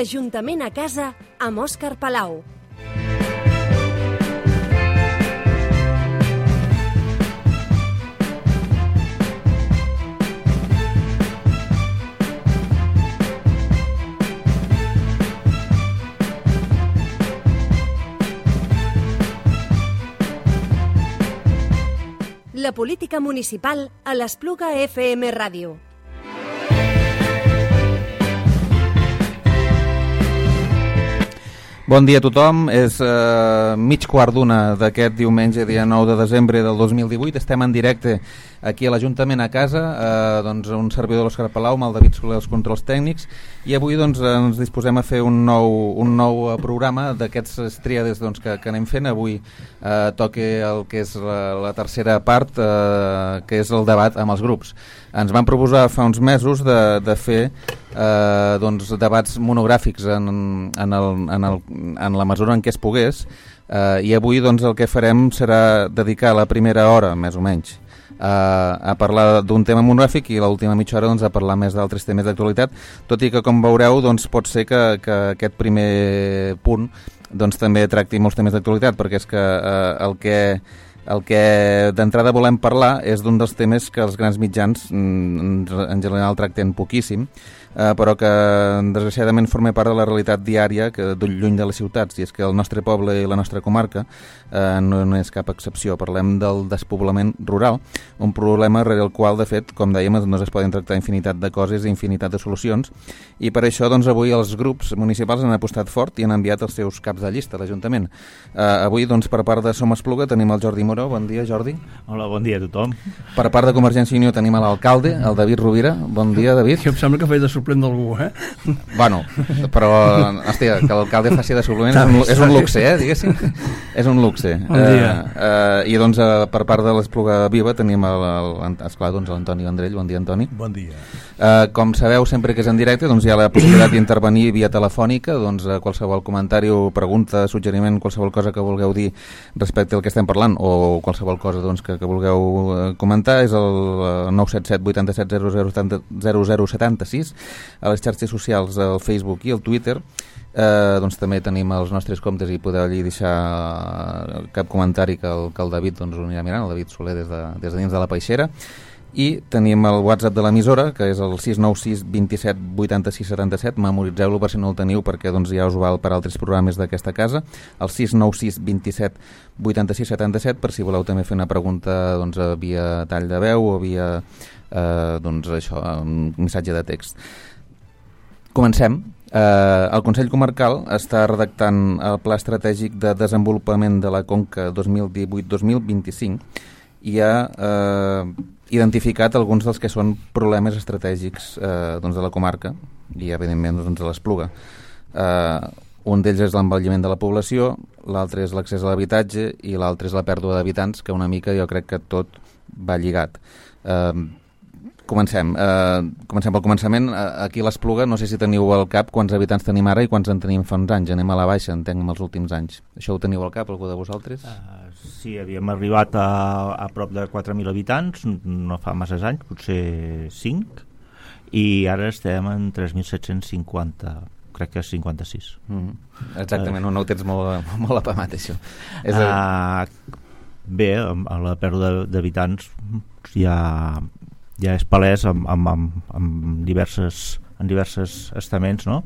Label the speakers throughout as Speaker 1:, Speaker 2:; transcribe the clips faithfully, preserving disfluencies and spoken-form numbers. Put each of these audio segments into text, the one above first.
Speaker 1: L'Ajuntament a casa amb Òscar Palau. La política municipal a l'Espluga F M Ràdio.
Speaker 2: Bon dia a tothom, és eh, mig quart d'una d'aquest diumenge, dia nou de desembre del dos mil divuit. Estem en directe aquí a l'Ajuntament a casa, eh, doncs un servidor de l'Òscar Palau amb el David Soler als controls tècnics, i avui doncs, ens disposem a fer un nou, un nou programa d'aquests tríades doncs, que, que anem fent. Avui eh, toca el que és la, la tercera part, eh, que és el debat amb els grups. Ens van proposar fa uns mesos de, de fer eh, doncs, debats monogràfics en, en, el, en, el, en la mesura en què es pogués, eh, i avui doncs, el que farem serà dedicar la primera hora, més o menys, eh, a parlar d'un tema monogràfic, i l'última mitja hora doncs, a parlar més d'altres temes d'actualitat, tot i que, com veureu, doncs, pot ser que, que aquest primer punt doncs, també tracti molts temes d'actualitat, perquè és que eh, el que... El que d'entrada volem parlar és d'un dels temes que els grans mitjans en general tracten poquíssim, eh, però que desgraciadament forma part de la realitat diària que lluny de les ciutats, i és que el nostre poble i la nostra comarca eh, no, no és cap excepció. Parlem del despoblament rural, un problema rere el qual, de fet, com dèiem, no es poden tractar infinitat de coses i infinitat de solucions, i per això doncs, avui els grups municipals han apostat fort i han enviat els seus caps de llista a l'Ajuntament. Eh, avui, doncs, per part de Som Espluga tenim el Jordi Moró. Bon dia, Jordi.
Speaker 3: Hola, bon dia a tothom.
Speaker 2: Per part de Convergència i Unió tenim a l'alcalde, el David Rovira. Bon dia, David.
Speaker 4: Jo em sembla que faig de suplent d'algú, eh?
Speaker 2: Bueno, però, hòstia, que l'alcalde faci de suplent és un, és un luxe, eh, diguéssim. És un luxe.
Speaker 4: Bon dia.
Speaker 2: Eh, eh, I doncs, eh, per part de l'Espluga Viva tenim, el, el, esclar, doncs, l'Antoni Vendrell. Bon dia, Antoni.
Speaker 5: Bon dia.
Speaker 2: Eh, com sabeu, sempre que és en directe, doncs hi ha la possibilitat d'intervenir via telefònica, doncs qualsevol comentari o pregunta, suggeriment, qualsevol cosa que vulgueu dir respecte al que estem parlant, o qualsevol cosa doncs, que, que vulgueu comentar, és el nou set set vuit set zero zero set sis, a les xarxes socials, al Facebook i al Twitter. Eh, doncs també tenim els nostres comptes i podeu allí deixar cap comentari que el, que el David doncs, ho anirà mirant, el David Soler des de, des de dins de la peixera. I tenim el WhatsApp de l'emissora, que és el sis nou sis dos set vuit sis set set. Memoritzeu-lo per si no el teniu, perquè doncs, ja us val per altres programes d'aquesta casa. El sis nou sis dos set vuit sis set set, per si voleu també fer una pregunta doncs, via tall de veu o via eh, doncs, això, un missatge de text. Comencem. Eh, el Consell Comarcal està redactant el Pla Estratègic de Desenvolupament de la Conca dos mil divuit dos mil vint-i-cinc i ha eh, identificat alguns dels que són problemes estratègics eh, doncs de la comarca i, evidentment, doncs, de l'Espluga. Eh, un d'ells és l'envelliment de la població, l'altre és l'accés a l'habitatge i l'altre és la pèrdua d'habitants, que una mica jo crec que tot va lligat. Eh, Comencem. Uh, comencem pel començament. Uh, aquí a l'Espluga, no sé si teniu al cap quants habitants tenim ara i quants en tenim fa uns anys. Anem a la baixa, entenc, en els últims anys. Això ho teniu al cap, algú de vosaltres?
Speaker 3: Uh, sí, havíem arribat a, a prop de quatre mil habitants, no fa massa anys, potser cinc, i ara estem en tres mil set-cents cinquanta, crec que és cinquanta-sis.
Speaker 2: Mm-hmm. Exactament, uh, no, no ho tens molt, molt apamat, això. És
Speaker 3: uh, el... Bé, amb, amb la pèrdua d'habitants ja... ja és palès amb, amb, amb, amb diverses, en diverses estaments, no?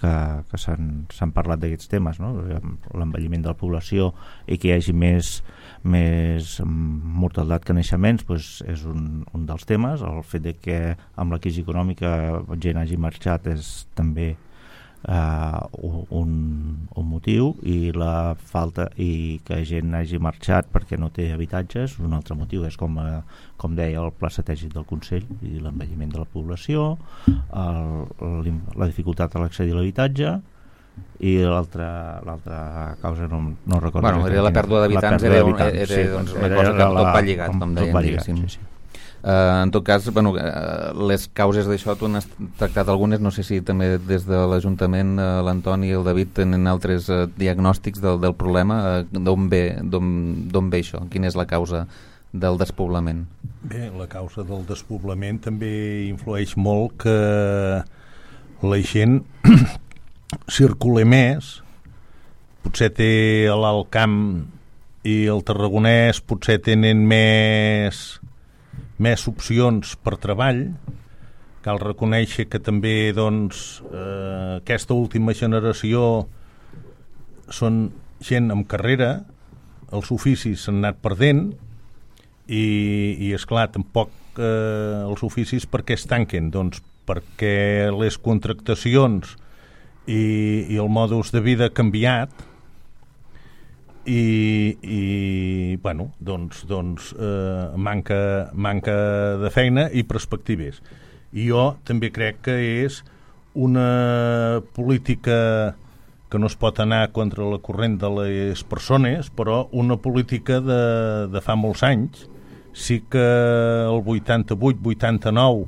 Speaker 3: que, que s'han parlat d'aquests temes, no? L'envelliment de la població i que hi hagi més, més mortalitat que naixements, doncs és un, un dels temes. El fet de que amb la crisi econòmica gent hagi marxat és també uh, un, un motiu, i la falta i que gent hagi marxat perquè no té habitatges un altre motiu. És com, uh, com deia el Pla Estratègic del Consell, i l'envelliment de la població, el, el, la dificultat a l'accedir a l'habitatge, i l'altra causa no, no recordo.
Speaker 2: Bueno, era la pèrdua d'habitants, era, era, era,
Speaker 3: sí,
Speaker 2: doncs, una cosa que tot va lligat, com deien, diguéssim.
Speaker 3: Sí, sí.
Speaker 2: Uh, en tot cas, bueno, uh, les causes d'això tu n'has tractat algunes, no sé si també des de l'Ajuntament uh, l'Antoni i el David tenen altres uh, diagnòstics del, del problema, uh, d'on ve, d'on ve això, quina és la causa del despoblament?
Speaker 5: Bé, la causa del despoblament també influeix molt que la gent circula més, potser té l'Alt Camp i el Tarragonès potser tenen més, més opcions per treball. Cal reconèixer que també doncs, eh, aquesta última generació són gent amb carrera, els oficis s'han anat perdent i, i esclar, tampoc eh, els oficis per què es tanquen? Doncs perquè les contractacions i, i el modus de vida ha canviat i, i bueno, doncs, doncs eh, manca, manca de feina i perspectives. I jo també crec que és una política que no es pot anar contra la corrent de les persones, però una política de, de fa molts anys. Sí que el vuitanta-vuit vuitanta-nou,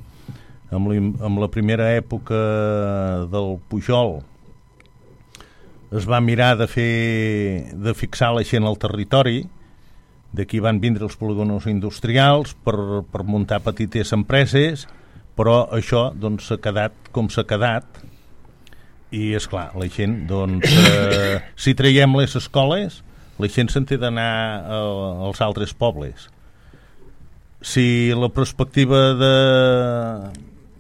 Speaker 5: amb, amb la primera època del Pujol, es va mirar de fer de fixar la gent al territori, d'aquí van vindre els polígonos industrials per, per muntar petites empreses, però això doncs, s'ha quedat com s'ha quedat. I, esclar, la gent, doncs, eh, si traiem les escoles, la gent se'n té d'anar a, als altres pobles. Si la perspectiva de,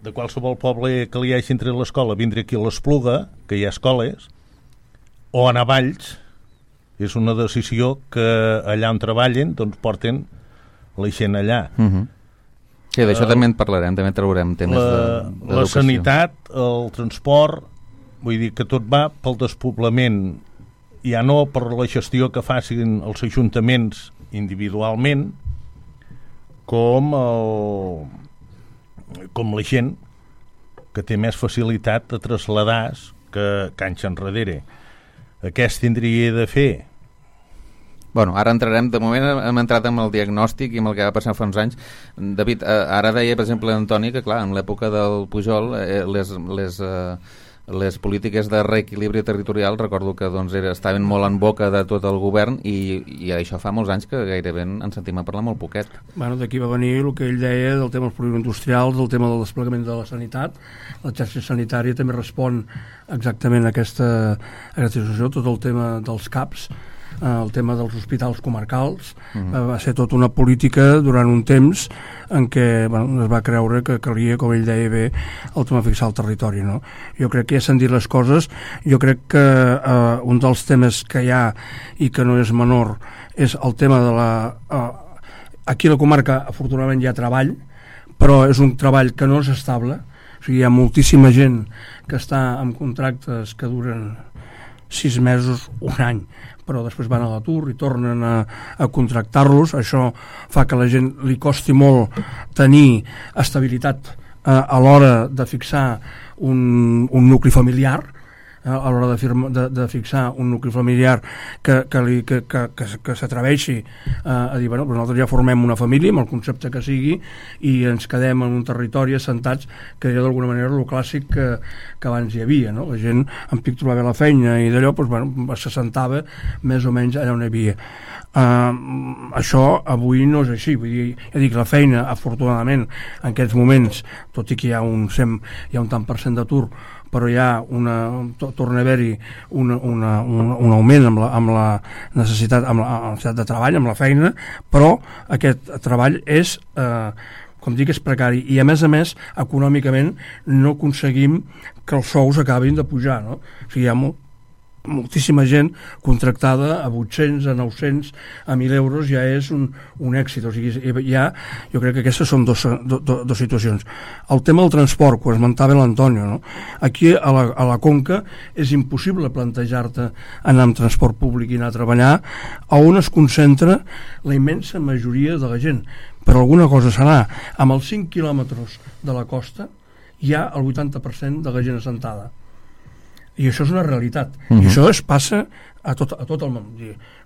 Speaker 5: de qualsevol poble que li hagi entre l'escola vindre aquí a l'Espluga, que hi ha escoles, o anar a Valls, és una decisió que allà on treballen, doncs, porten la gent allà.
Speaker 2: Uh-huh. Sí, d'això uh, també en parlarem, també traurem temes
Speaker 5: la,
Speaker 2: de,
Speaker 5: la sanitat, el transport. Vull dir que tot va pel despoblament, ja no per la gestió que facin els ajuntaments individualment, com, el, com la gent que té més facilitat a traslladar que, que anys enrere. Què es tindria de fer?
Speaker 2: Bueno, ara entrarem, de moment hem entrat amb el diagnòstic i amb el que va passar fa uns anys. David, ara deia, per exemple, Antoni, que clar, en l'època del Pujol, eh, les... les eh, les polítiques de reequilibri territorial, recordo que doncs, era, estaven molt en boca de tot el govern i, i això fa molts anys que gairebé en sentim a parlar molt poquet.
Speaker 4: Bueno, d'aquí va venir el que ell deia del tema dels polígons industrials, del tema del desplegament de la sanitat. La xarxa sanitària també respon exactament a aquesta, a aquesta situació, tot el tema dels C A Ps, el tema dels hospitals comarcals. Uh-huh. Va ser tota una política durant un temps en què bueno, es va creure que calia, com ell deia bé, el tema fixar el territori, no? Jo crec que ja s'han dit les coses. Jo crec que eh, un dels temes que hi ha i que no és menor és el tema de la... Eh, aquí a la comarca afortunadament hi ha treball, però és un treball que no és estable. O sigui, hi ha moltíssima gent que està amb contractes que duren sis mesos, un any, però després van a l'atur i tornen a, a contractar-los. Això fa que a la gent li costi molt tenir estabilitat eh, a l'hora de fixar un, un nucli familiar, eh, a l'hora de, firma, de, de fixar un nucli familiar que, que, li, que, que, que, que s'atreveixi eh, a dir, bueno, nosaltres ja formem una família amb el concepte que sigui i ens quedem en un territori assentats, que era d'alguna manera el clàssic que, que abans hi havia, no? La gent en pic trobava la feina i d'allò doncs, bueno, s'assentava més o menys allà on hi havia. Uh, això avui no és així, vull dir, ja dic, la feina afortunadament en aquests moments, tot i que hi ha un, sem, hi ha un tant per cent d'atur, però hi ha una, torna a haver-hi una, una, un, un augment amb la, amb la necessitat amb la, amb la necessitat de treball, amb la feina, però aquest treball és eh, com dic, és precari i a més a més econòmicament no aconseguim que els sous acabin de pujar, no? O sigui, hi ha molt moltíssima gent contractada a vuit-cents, a nou-cents, a mil euros, ja és un, un èxit. O sigui, ja, jo crec que aquestes són dos, do, do, dos situacions. El tema del transport, que ho esmentava l'Antonio, no? Aquí a la, a la Conca és impossible plantejar-te anar amb transport públic i anar a treballar, a on es concentra la immensa majoria de la gent. Per alguna cosa serà. Amb els cinc quilòmetres de la costa hi ha el vuitanta per cent de la gent assentada. I això és una realitat. Uh-huh. I això es passa a tot, a tot el món.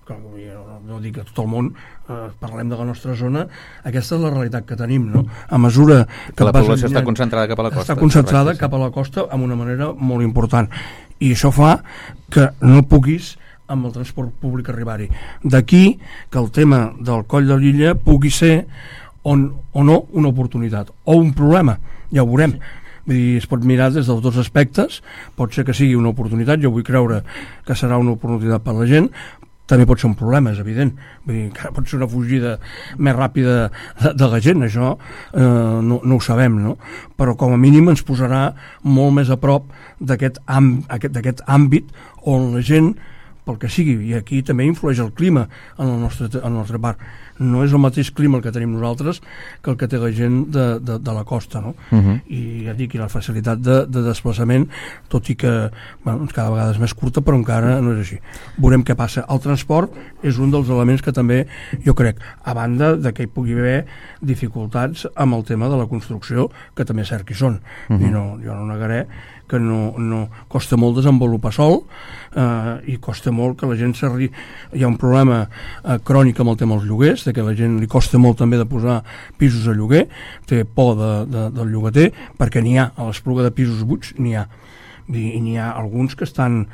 Speaker 4: No, no dic a tot el món, eh, parlem de la nostra zona, aquesta és la realitat que tenim, no? A mesura que
Speaker 2: la població està concentrada cap a la costa.
Speaker 4: Està concentrada cap a la costa amb una manera molt important. I això fa que no puguis amb el transport públic arribar-hi. D'aquí que el tema del Coll de Lilla pugui ser on, o no una oportunitat, o un problema, ja ho veurem. Vull dir, es pot mirar des dels dos aspectes, pot ser que sigui una oportunitat, jo vull creure que serà una oportunitat per la gent, també pot ser un problema, és evident. Vull dir, que pot ser una fugida més ràpida de, de la gent, això eh, no, no ho sabem, no? Però com a mínim ens posarà molt més a prop d'aquest amb, aquest, d'aquest àmbit on la gent, pel que sigui, i aquí també influeix el clima en el nostre, en el nostre parc. No és el mateix clima el que tenim nosaltres que el que té la gent de, de, de la costa, no? Uh-huh. I ja dic, i la facilitat de, de desplaçament, tot i que bueno, cada vegada és més curta, però encara no és així. Veurem què passa. El transport és un dels elements que també, jo crec, a banda de que hi pugui haver dificultats amb el tema de la construcció, que també és cert que hi són. Uh-huh. I no, jo no negaré que no, no costa molt desenvolupar sol eh, i costa molt que la gent s'arri... Hi ha un problema eh, crònic amb el tema dels lloguers, de que la gent li costa molt també de posar pisos a lloguer, té por de, de, del llogater, perquè n'hi ha, a l'Espluga de pisos buits n'hi ha. I n'hi ha alguns que estan,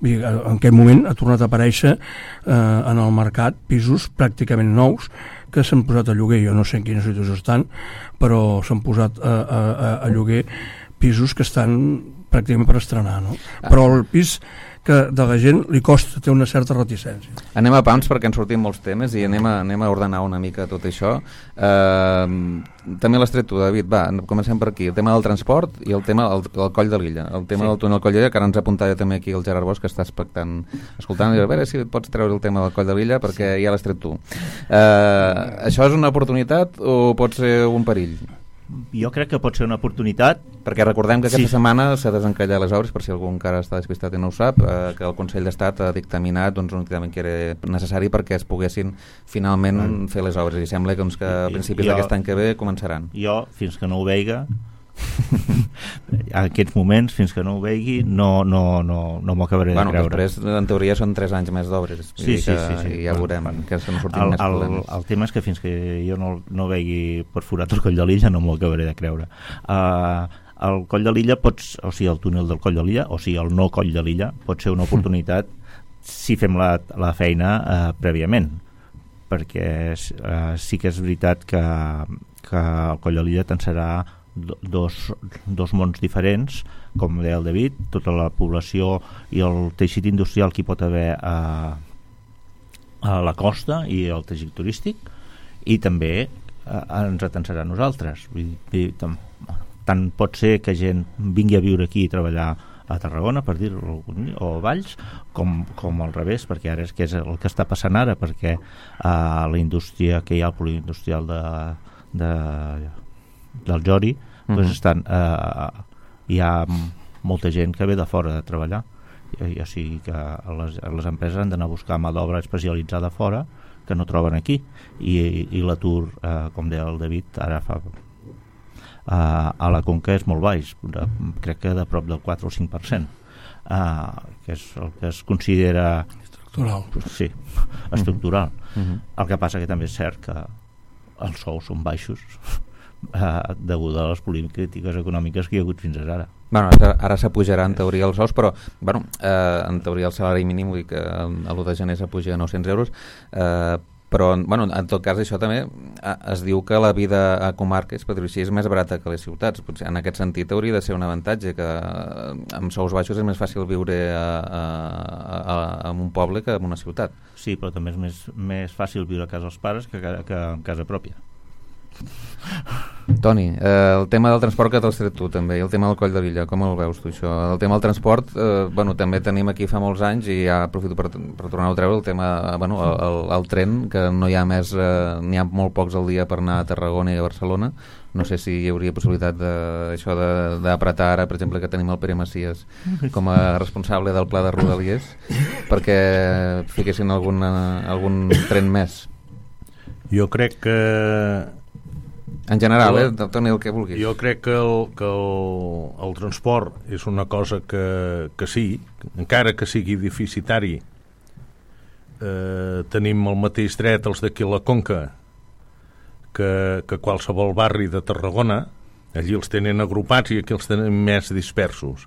Speaker 4: en aquest moment ha tornat a aparèixer eh, en el mercat pisos pràcticament nous que s'han posat a lloguer. Jo no sé en quina situació estan, però s'han posat a, a, a, a lloguer pisos que estan pràcticament per estrenar, no? Ah. Però el pis que de la gent li costa, té una certa reticència.
Speaker 2: Anem a pams perquè han sortit molts temes i anem a, anem a ordenar una mica tot això. Eh, també l'has tret tu, David. Va, comencem per aquí. El tema del transport i el tema del, del Coll de Lilla. El tema sí. del túnel Coll de Lilla, que ara ens apuntava també aquí el Gerard Bosch, que està expectant, escoltant, i a veure si pots treure el tema del Coll de Lilla perquè sí. ja l'has tret tu. Eh, això és una oportunitat o pot ser un perill?
Speaker 3: Jo crec que pot ser una oportunitat,
Speaker 2: perquè recordem que aquesta
Speaker 3: sí.
Speaker 2: setmana s'ha desencallat les obres, per si algú encara està despistat i no ho sap, eh, que el Consell d'Estat ha dictaminat doncs, un dictamen que era necessari perquè es poguessin finalment mm. fer les obres, i sembla doncs, que a principis d'aquest any que ve començaran.
Speaker 3: Jo, fins que no ho veiga, en aquests moments, fins que no ho vegi, no, no, no, no m'ho acabaré
Speaker 2: bueno,
Speaker 3: de creure.
Speaker 2: Després, en teoria, són tres anys més d'obres.
Speaker 3: Sí, sí, sí, sí.
Speaker 2: I ja veurem bueno, que no sortim
Speaker 3: el,
Speaker 2: més problemes.
Speaker 3: El, el tema és que fins que jo no, no vegi perforat el Coll de Lilla no m'ho acabaré de creure. Uh, el Coll de Lilla, pots, o sigui, el túnel del Coll de Lilla, o sigui, el no Coll de Lilla, pot ser una oportunitat si fem la, la feina uh, prèviament, perquè uh, sí que és veritat que, que el Coll de Lilla tensarà dos, dos mons diferents, com deia el David, tota la població i el teixit industrial que hi pot haver a, a la costa i el teixit turístic, i també a, ens atensarà a nosaltres. Vull dir, tant, tant pot ser que gent vingui a viure aquí i treballar a Tarragona, per dir-ho, o a Valls, com, com al revés, perquè ara és que és el que està passant ara, perquè uh, la indústria que hi ha, el poliindustrial de, de, del Jori, mm-hmm. doncs estan, uh, hi ha molta gent que ve de fora de treballar, i, o sigui que les, les empreses han d'anar a buscar mà d'obra especialitzada fora, que no troben aquí, i, i l'atur, uh, com deia el David, ara fa... Uh, a la Conca és molt baix, de, crec que de prop del quatre o cinc per cent, uh, que és el que es considera
Speaker 4: estructural.
Speaker 3: Sí, estructural.
Speaker 2: Uh-huh.
Speaker 3: El que passa que també és cert que els sous són baixos uh, degut a les polítiques econòmiques que hi ha hagut fins ara.
Speaker 2: Bueno, ara, ara s'apujarà en teoria els sous, però bueno, eh, en teoria el salari mínim, vull dir que a l'u de gener s'apuja a nou-cents euros, eh, però bueno, en tot cas això també es diu que la vida a comarques, per dir-ho així, és més barata que les ciutats. Potser en aquest sentit hauria de ser un avantatge, que amb sous baixos és més fàcil viure a, a, a, a un poble que en una ciutat.
Speaker 3: Sí, però també és més, més fàcil viure a casa dels pares que, que en casa pròpia.
Speaker 2: Toni, eh, el tema del transport que t'has tret tu també, i el tema del Coll de Lilla, com el veus tu això? El tema del transport, eh, bueno, també tenim aquí fa molts anys, i ja aprofito per, per tornar-ho a treure, el tema, bueno, el, el, el tren, que no hi ha més, eh, n'hi ha molt pocs al dia per anar a Tarragona i a Barcelona. No sé si hi hauria possibilitat d'això d'apretar ara, per exemple, que tenim el Pere Macias com a responsable del pla de Rodalies, perquè fiquessin algun, algun tren més.
Speaker 5: Jo crec que
Speaker 2: en general, jo, eh? Toni, el que vulguis.
Speaker 5: Jo crec que el, que el, el transport és una cosa que, que sí, encara que sigui deficitari, eh, tenim el mateix dret els d'aquí a la Conca que, que qualsevol barri de Tarragona. Allí els tenen agrupats i aquí els tenen més dispersos.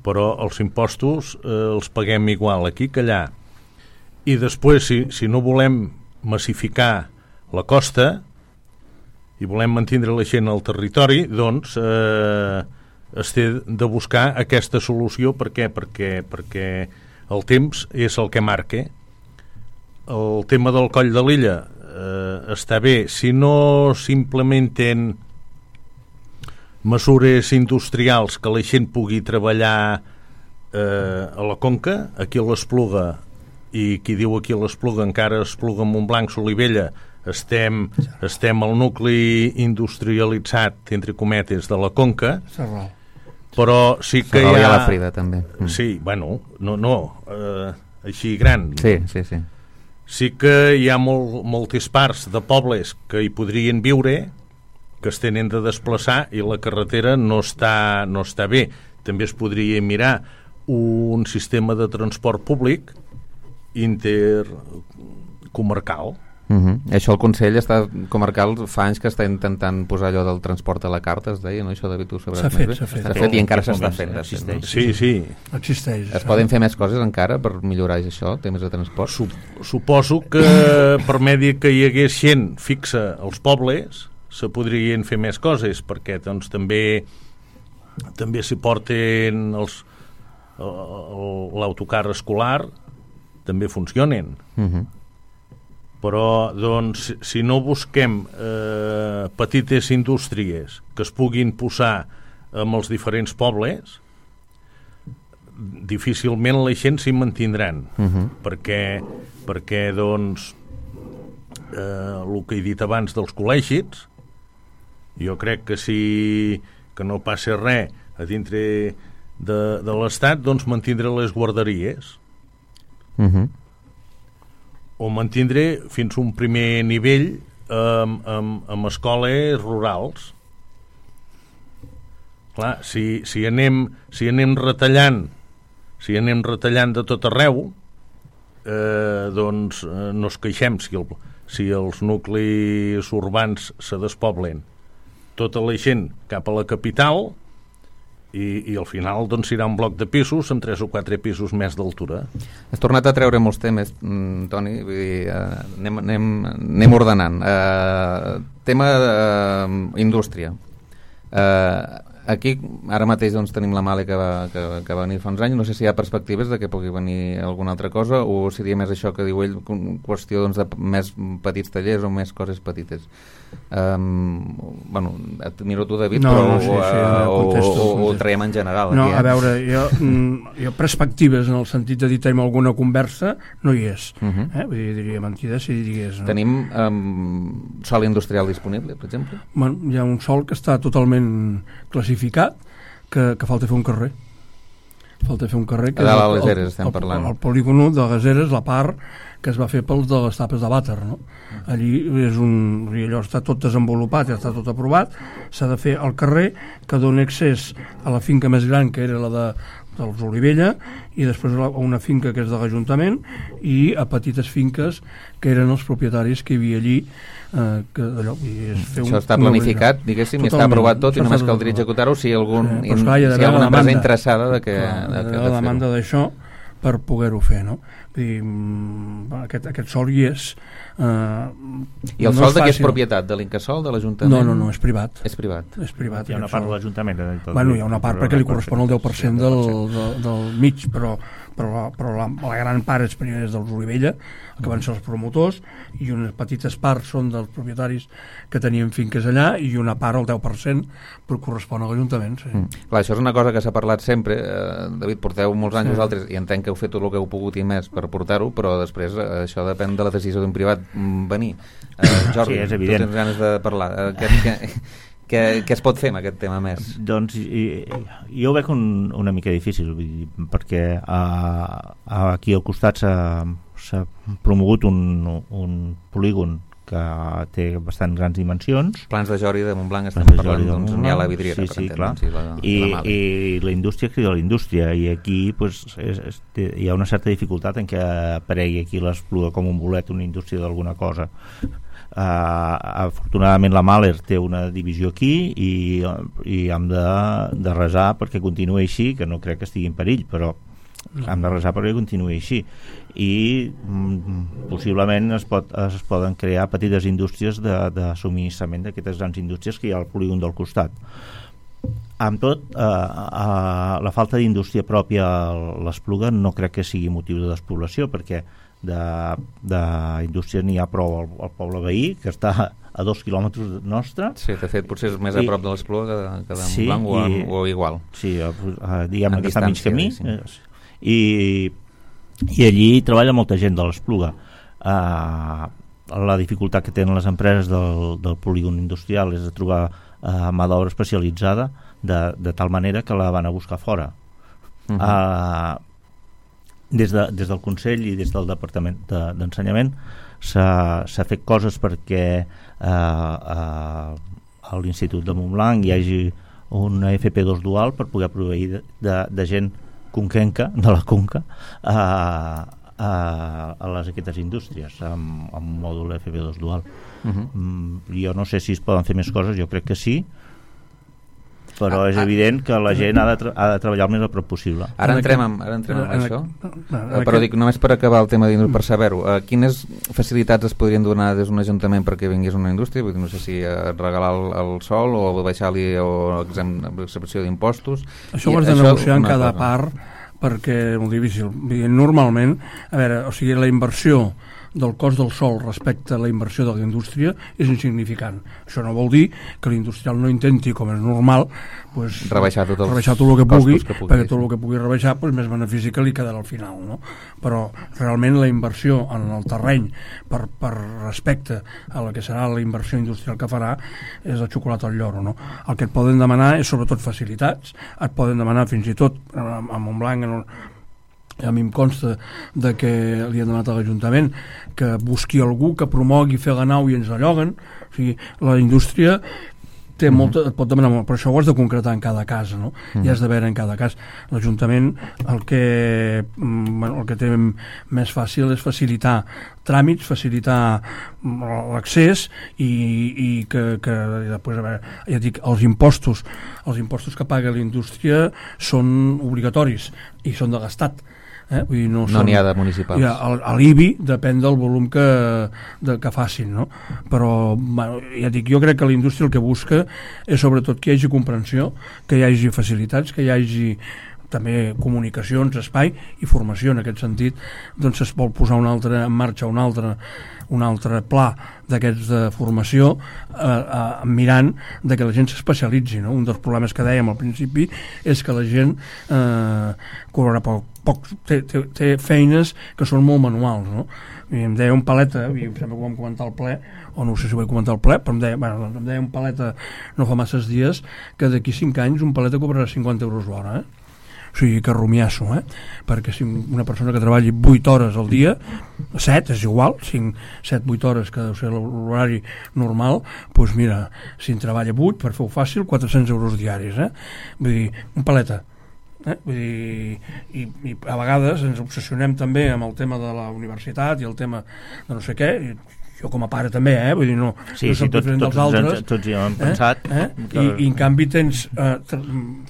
Speaker 5: Però els impostos eh, els paguem igual aquí que allà. I després, si, si no volem massificar la costa i volem mantenir la gent al territori, doncs eh, es té de buscar aquesta solució. Per què? Perquè, perquè el temps és el que marca. El tema del Coll de Lilla eh, està bé si no s'implementen mesures industrials que la gent pugui treballar eh, a la Conca, aquí a l'Espluga, i qui diu aquí a l'Espluga encara Espluga, Montblanc, Solivella, estem, estem al nucli industrialitzat, entre cometes, de la Conca, però sí que
Speaker 2: Ferrol
Speaker 5: hi ha...
Speaker 2: la Frida, també. Mm.
Speaker 5: Sí, bueno, no, no eh, així gran.
Speaker 2: Sí, sí, sí.
Speaker 5: Sí que hi ha molt, moltes parts de pobles que hi podrien viure, que es tenen de desplaçar, i la carretera no està, no està bé. També es podria mirar un sistema de transport públic intercomarcal.
Speaker 2: Uh-huh. Això el Consell està comarcal fa anys que està intentant posar allò del transport a la carta, es deia, no? Això, David, tu sabràs
Speaker 4: s'ha fet,
Speaker 2: més bé?
Speaker 4: s'ha fet.
Speaker 2: S'ha fet i encara s'està fent.
Speaker 3: Existeix.
Speaker 5: Sí, sí.
Speaker 4: Existeix.
Speaker 2: Es poden fer més coses encara per millorar això, temes de transport?
Speaker 5: Sup suposo que per medi que hi hagués gent fixa als pobles se podrien fer més coses, perquè doncs també també s'hi porten els l'autocar escolar, també funcionen.
Speaker 2: Uh-huh.
Speaker 5: Però doncs si no busquem eh, petites indústries que es puguin posar en els diferents pobles, difícilment la gent s'hi mantindran. Uh-huh. perquè, perquè doncs eh, el que he dit abans dels col·legis, jo crec que si que no passa res a dintre de, de l'Estat, doncs mantindre les guarderies.
Speaker 2: Uh-huh.
Speaker 5: O mantindre fins a un primer nivell amb, amb, amb escoles rurals. Clar, si, si, anem, si anem retallant si anem retallant de tot arreu, eh, doncs eh, no es queixem si, el, si els nuclis urbans se despoblen tota la gent cap a la capital, i, i al final doncs serà un bloc de pisos amb tres o quatre pisos més d'altura.
Speaker 2: Has tornat a treure molts temes, mm, Toni, vull dir, eh, anem, anem, anem ordenant. Eh, tema d'indústria. Eh, aquí ara mateix doncs, tenim la Male que va, que, que va venir fa uns anys. No sé si hi ha perspectives de que pugui venir alguna altra cosa, o seria més això que diu ell, qüestió doncs, de més petits tallers o més coses petites. Um, bueno, et miro tu, David,
Speaker 4: no,
Speaker 2: però
Speaker 4: no, sí, sí,
Speaker 2: uh,
Speaker 4: no,
Speaker 2: o,
Speaker 4: contesto,
Speaker 2: o, o ho traiem en general.
Speaker 4: No,
Speaker 2: aquí, eh?
Speaker 4: a veure, jo, jo perspectives en el sentit de dir tenim alguna conversa no hi és. Uh-huh. eh? Vull dir, diria mentida si digués. No?
Speaker 2: Tenim um, sòl industrial disponible, per exemple?
Speaker 4: Bueno, hi ha un sòl que està totalment classificat, que, que falta fer un carrer. Falta fer un carrer. Que
Speaker 2: a dalt a
Speaker 4: el,
Speaker 2: les Eres estem
Speaker 4: el,
Speaker 2: parlant.
Speaker 4: El, el polígon de les Eres, la part que es va fer pels de les tapes de vàter, no? Allí és un, allò està tot desenvolupat, ja està tot aprovat, s'ha de fer el carrer que doni accés a la finca més gran, que era la de dels Olivella, i després a una finca que és de l'Ajuntament, i a petites finques que eren els propietaris que hi havia allí. Eh, que allò, i és fer
Speaker 2: això
Speaker 4: un,
Speaker 2: està planificat, diguéssim, i està aprovat tot, i només caldria executar-ho si, algun,
Speaker 4: eh, in,
Speaker 2: clar, si hi ha alguna empresa interessada de que,
Speaker 4: clar,
Speaker 2: de,
Speaker 4: de,
Speaker 2: de,
Speaker 4: de la demanda d'això per poder-ho fer, no? Vull dir, aquest, aquest sòl hi és. Eh,
Speaker 2: I el
Speaker 4: no
Speaker 2: sòl de què és
Speaker 4: fàcil.
Speaker 2: propietat? De l'Incasòl, de l'Ajuntament?
Speaker 4: No, no, no, és privat.
Speaker 2: És privat.
Speaker 4: És privat.
Speaker 3: Hi ha una part de l'Ajuntament.
Speaker 4: Bueno, hi ha una part perquè li correspon el deu per cent del, del, del mig, però, però, però la, la gran part és, és dels Olivella, que van ser els promotors, i unes petites parts són dels propietaris que tenien finques allà, i una part, el deu per cent, correspon a l'Ajuntament. Sí.
Speaker 2: Mm. Clar, això és una cosa que s'ha parlat sempre. Eh, David, porteu molts anys sí. vosaltres, i entenc que heu fet tot el que heu pogut i més per portar-ho, però després eh, això depèn de la decisió d'un privat venir. Eh, Jordi,
Speaker 3: sí, és
Speaker 2: tu
Speaker 3: evident.
Speaker 2: tens ganes de parlar. Eh, què, què, què, què es pot fer amb aquest tema més?
Speaker 3: Doncs i, jo ho veig un, una mica difícil, vull dir, perquè a, a, aquí al costat s'ha promogut un, un polígon que té bastant grans dimensions.
Speaker 2: Plans de Jori de Montblanc estem
Speaker 3: Plans
Speaker 2: parlant,
Speaker 3: de
Speaker 2: doncs n'hi ha la vidriera,
Speaker 3: sí,
Speaker 2: per
Speaker 3: sí,
Speaker 2: entendre.
Speaker 3: clar.
Speaker 2: Sí, la,
Speaker 3: I,
Speaker 2: la
Speaker 3: i la indústria crida la indústria, i aquí pues, és, és, hi ha una certa dificultat en què aparegui aquí l'Espluga com un bolet, una indústria d'alguna cosa. Uh, afortunadament la Mahler té una divisió aquí, i, i hem de, de resar perquè continuï així, que no crec que estigui en perill, però hem de resar perquè continuï així, i mm, possiblement es, pot, es poden crear petites indústries de, de subministrament d'aquestes grans indústries que hi ha al polígon del costat. amb tot, eh, eh, la falta d'indústria pròpia a l'Espluga no crec que sigui motiu de despoblació, perquè d'indústria n'hi ha prou al, al poble veí, que està a dos quilòmetres nostre.
Speaker 2: Sí, de fet, potser és més
Speaker 3: I,
Speaker 2: a prop de l'Espluga que de, que de
Speaker 3: sí,
Speaker 2: Montblanc
Speaker 3: i,
Speaker 2: o, o igual.
Speaker 3: Sí, a, a, diguem
Speaker 2: en
Speaker 3: que està a mig camí.
Speaker 2: sí.
Speaker 3: I, I allí treballa molta gent de l'Espluga. Uh, la dificultat que tenen les empreses del, del polígon industrial és de trobar uh, mà d'obra especialitzada de, de tal manera que la van a buscar fora. Uh-huh. uh, des, de, des del Consell i des del Departament de, d'Ensenyament s'ha, s'ha fet coses perquè uh, uh, a l'Institut de Montblanc hi hagi una F P dos dual per poder proveir de, de, de gent conquenca, de la Conca, a, a, a les aquestes indústries amb, amb mòdul F P dos dual. Uh-huh. mm, jo no sé si es poden fer més coses, jo crec que sí, però ah, és evident que la gent ha de, tra- ha de treballar el més a prop possible.
Speaker 2: Ara entrem en, ara entrem en, en això,
Speaker 4: no, no,
Speaker 2: uh, però dic, només per acabar el tema d'indústria, per saber-ho, uh, quines facilitats es podrien donar des d'un ajuntament perquè vingués una indústria? Vull dir, no sé si uh, regalar el, el sol o baixar-li o excepció d'impostos.
Speaker 4: Això ho has de negociar en cada cosa. Part, perquè és molt difícil. Normalment, a veure, o sigui, la inversió del cost del sòl respecte a la inversió de la indústria és insignificant. Això no vol dir que l'industrial no intenti, com és normal, pues,
Speaker 2: rebaixar tot, els
Speaker 4: rebaixar tot el que pugui,
Speaker 2: que pugui
Speaker 4: perquè tot el que pugui rebaixar pues, més benefici que li quedarà al final, no? Però realment la inversió en el terreny per, per respecte a la que serà la inversió industrial que farà és la xocolata al lloro, no? El que et poden demanar és sobretot facilitats, et poden demanar fins i tot a Montblanc en un a mi em consta de que li han demanat a l'Ajuntament que busqui algú que promogui fer la nau i ens la lloguen. O sigui, la indústria té molta, et pot demanar molt, però això ho has de concretar en cada cas, no? Uh-huh. I has de veure en cada cas. L'Ajuntament el que, bueno, el que té més fàcil és facilitar tràmits, facilitar l'accés i, i que, que i després, a veure, ja dic, els impostos els impostos que paga la indústria són obligatoris i són de l'Estat. Eh? Vull dir, no
Speaker 2: no n'hi ha de municipals.
Speaker 4: Ja, l'I B I depèn del volum que, de, que facin, no? Però bueno, ja dic, jo crec que la indústria el que busca és sobretot que hi hagi comprensió, que hi hagi facilitats, que hi hagi també comunicacions, espai i formació. En aquest sentit, doncs es vol posar un altre, en marxa un altre, un altre pla d'aquests de formació eh, eh, mirant de que la gent s'especialitzi, no? Un dels problemes que dèiem al principi és que la gent eh, cobrarà poc, poc té, té, té feines que són molt manuals, no? I em deia un paleta, i em sembla que ho vam comentar al ple, o no sé si ho vaig comentar al ple, però em deia, bueno, doncs em deia un paleta no fa masses dies que d'aquí cinc anys un paleta cobrarà cinquanta euros l'hora, eh? O sigui que rumiasso, eh? Perquè si una persona que treballi vuit hores al dia, set, és igual, cinc, set, vuit hores, que deu ser l'horari normal, doncs mira, si en treballa vuit, per fer-ho fàcil, quatre-cents euros diaris, eh? Vull dir, un paleta. Eh? Vull dir, i, i a vegades ens obsessionem també amb el tema de la universitat i el tema de no sé què, i jo com a pare també, eh? Vull dir, no,
Speaker 3: sí,
Speaker 4: no soc
Speaker 3: sí, tot,
Speaker 4: diferent
Speaker 3: tots,
Speaker 4: dels altres.
Speaker 3: Tots, tots hi hem pensat.
Speaker 4: Eh? Eh?
Speaker 3: Que...
Speaker 4: I, I en canvi tens eh,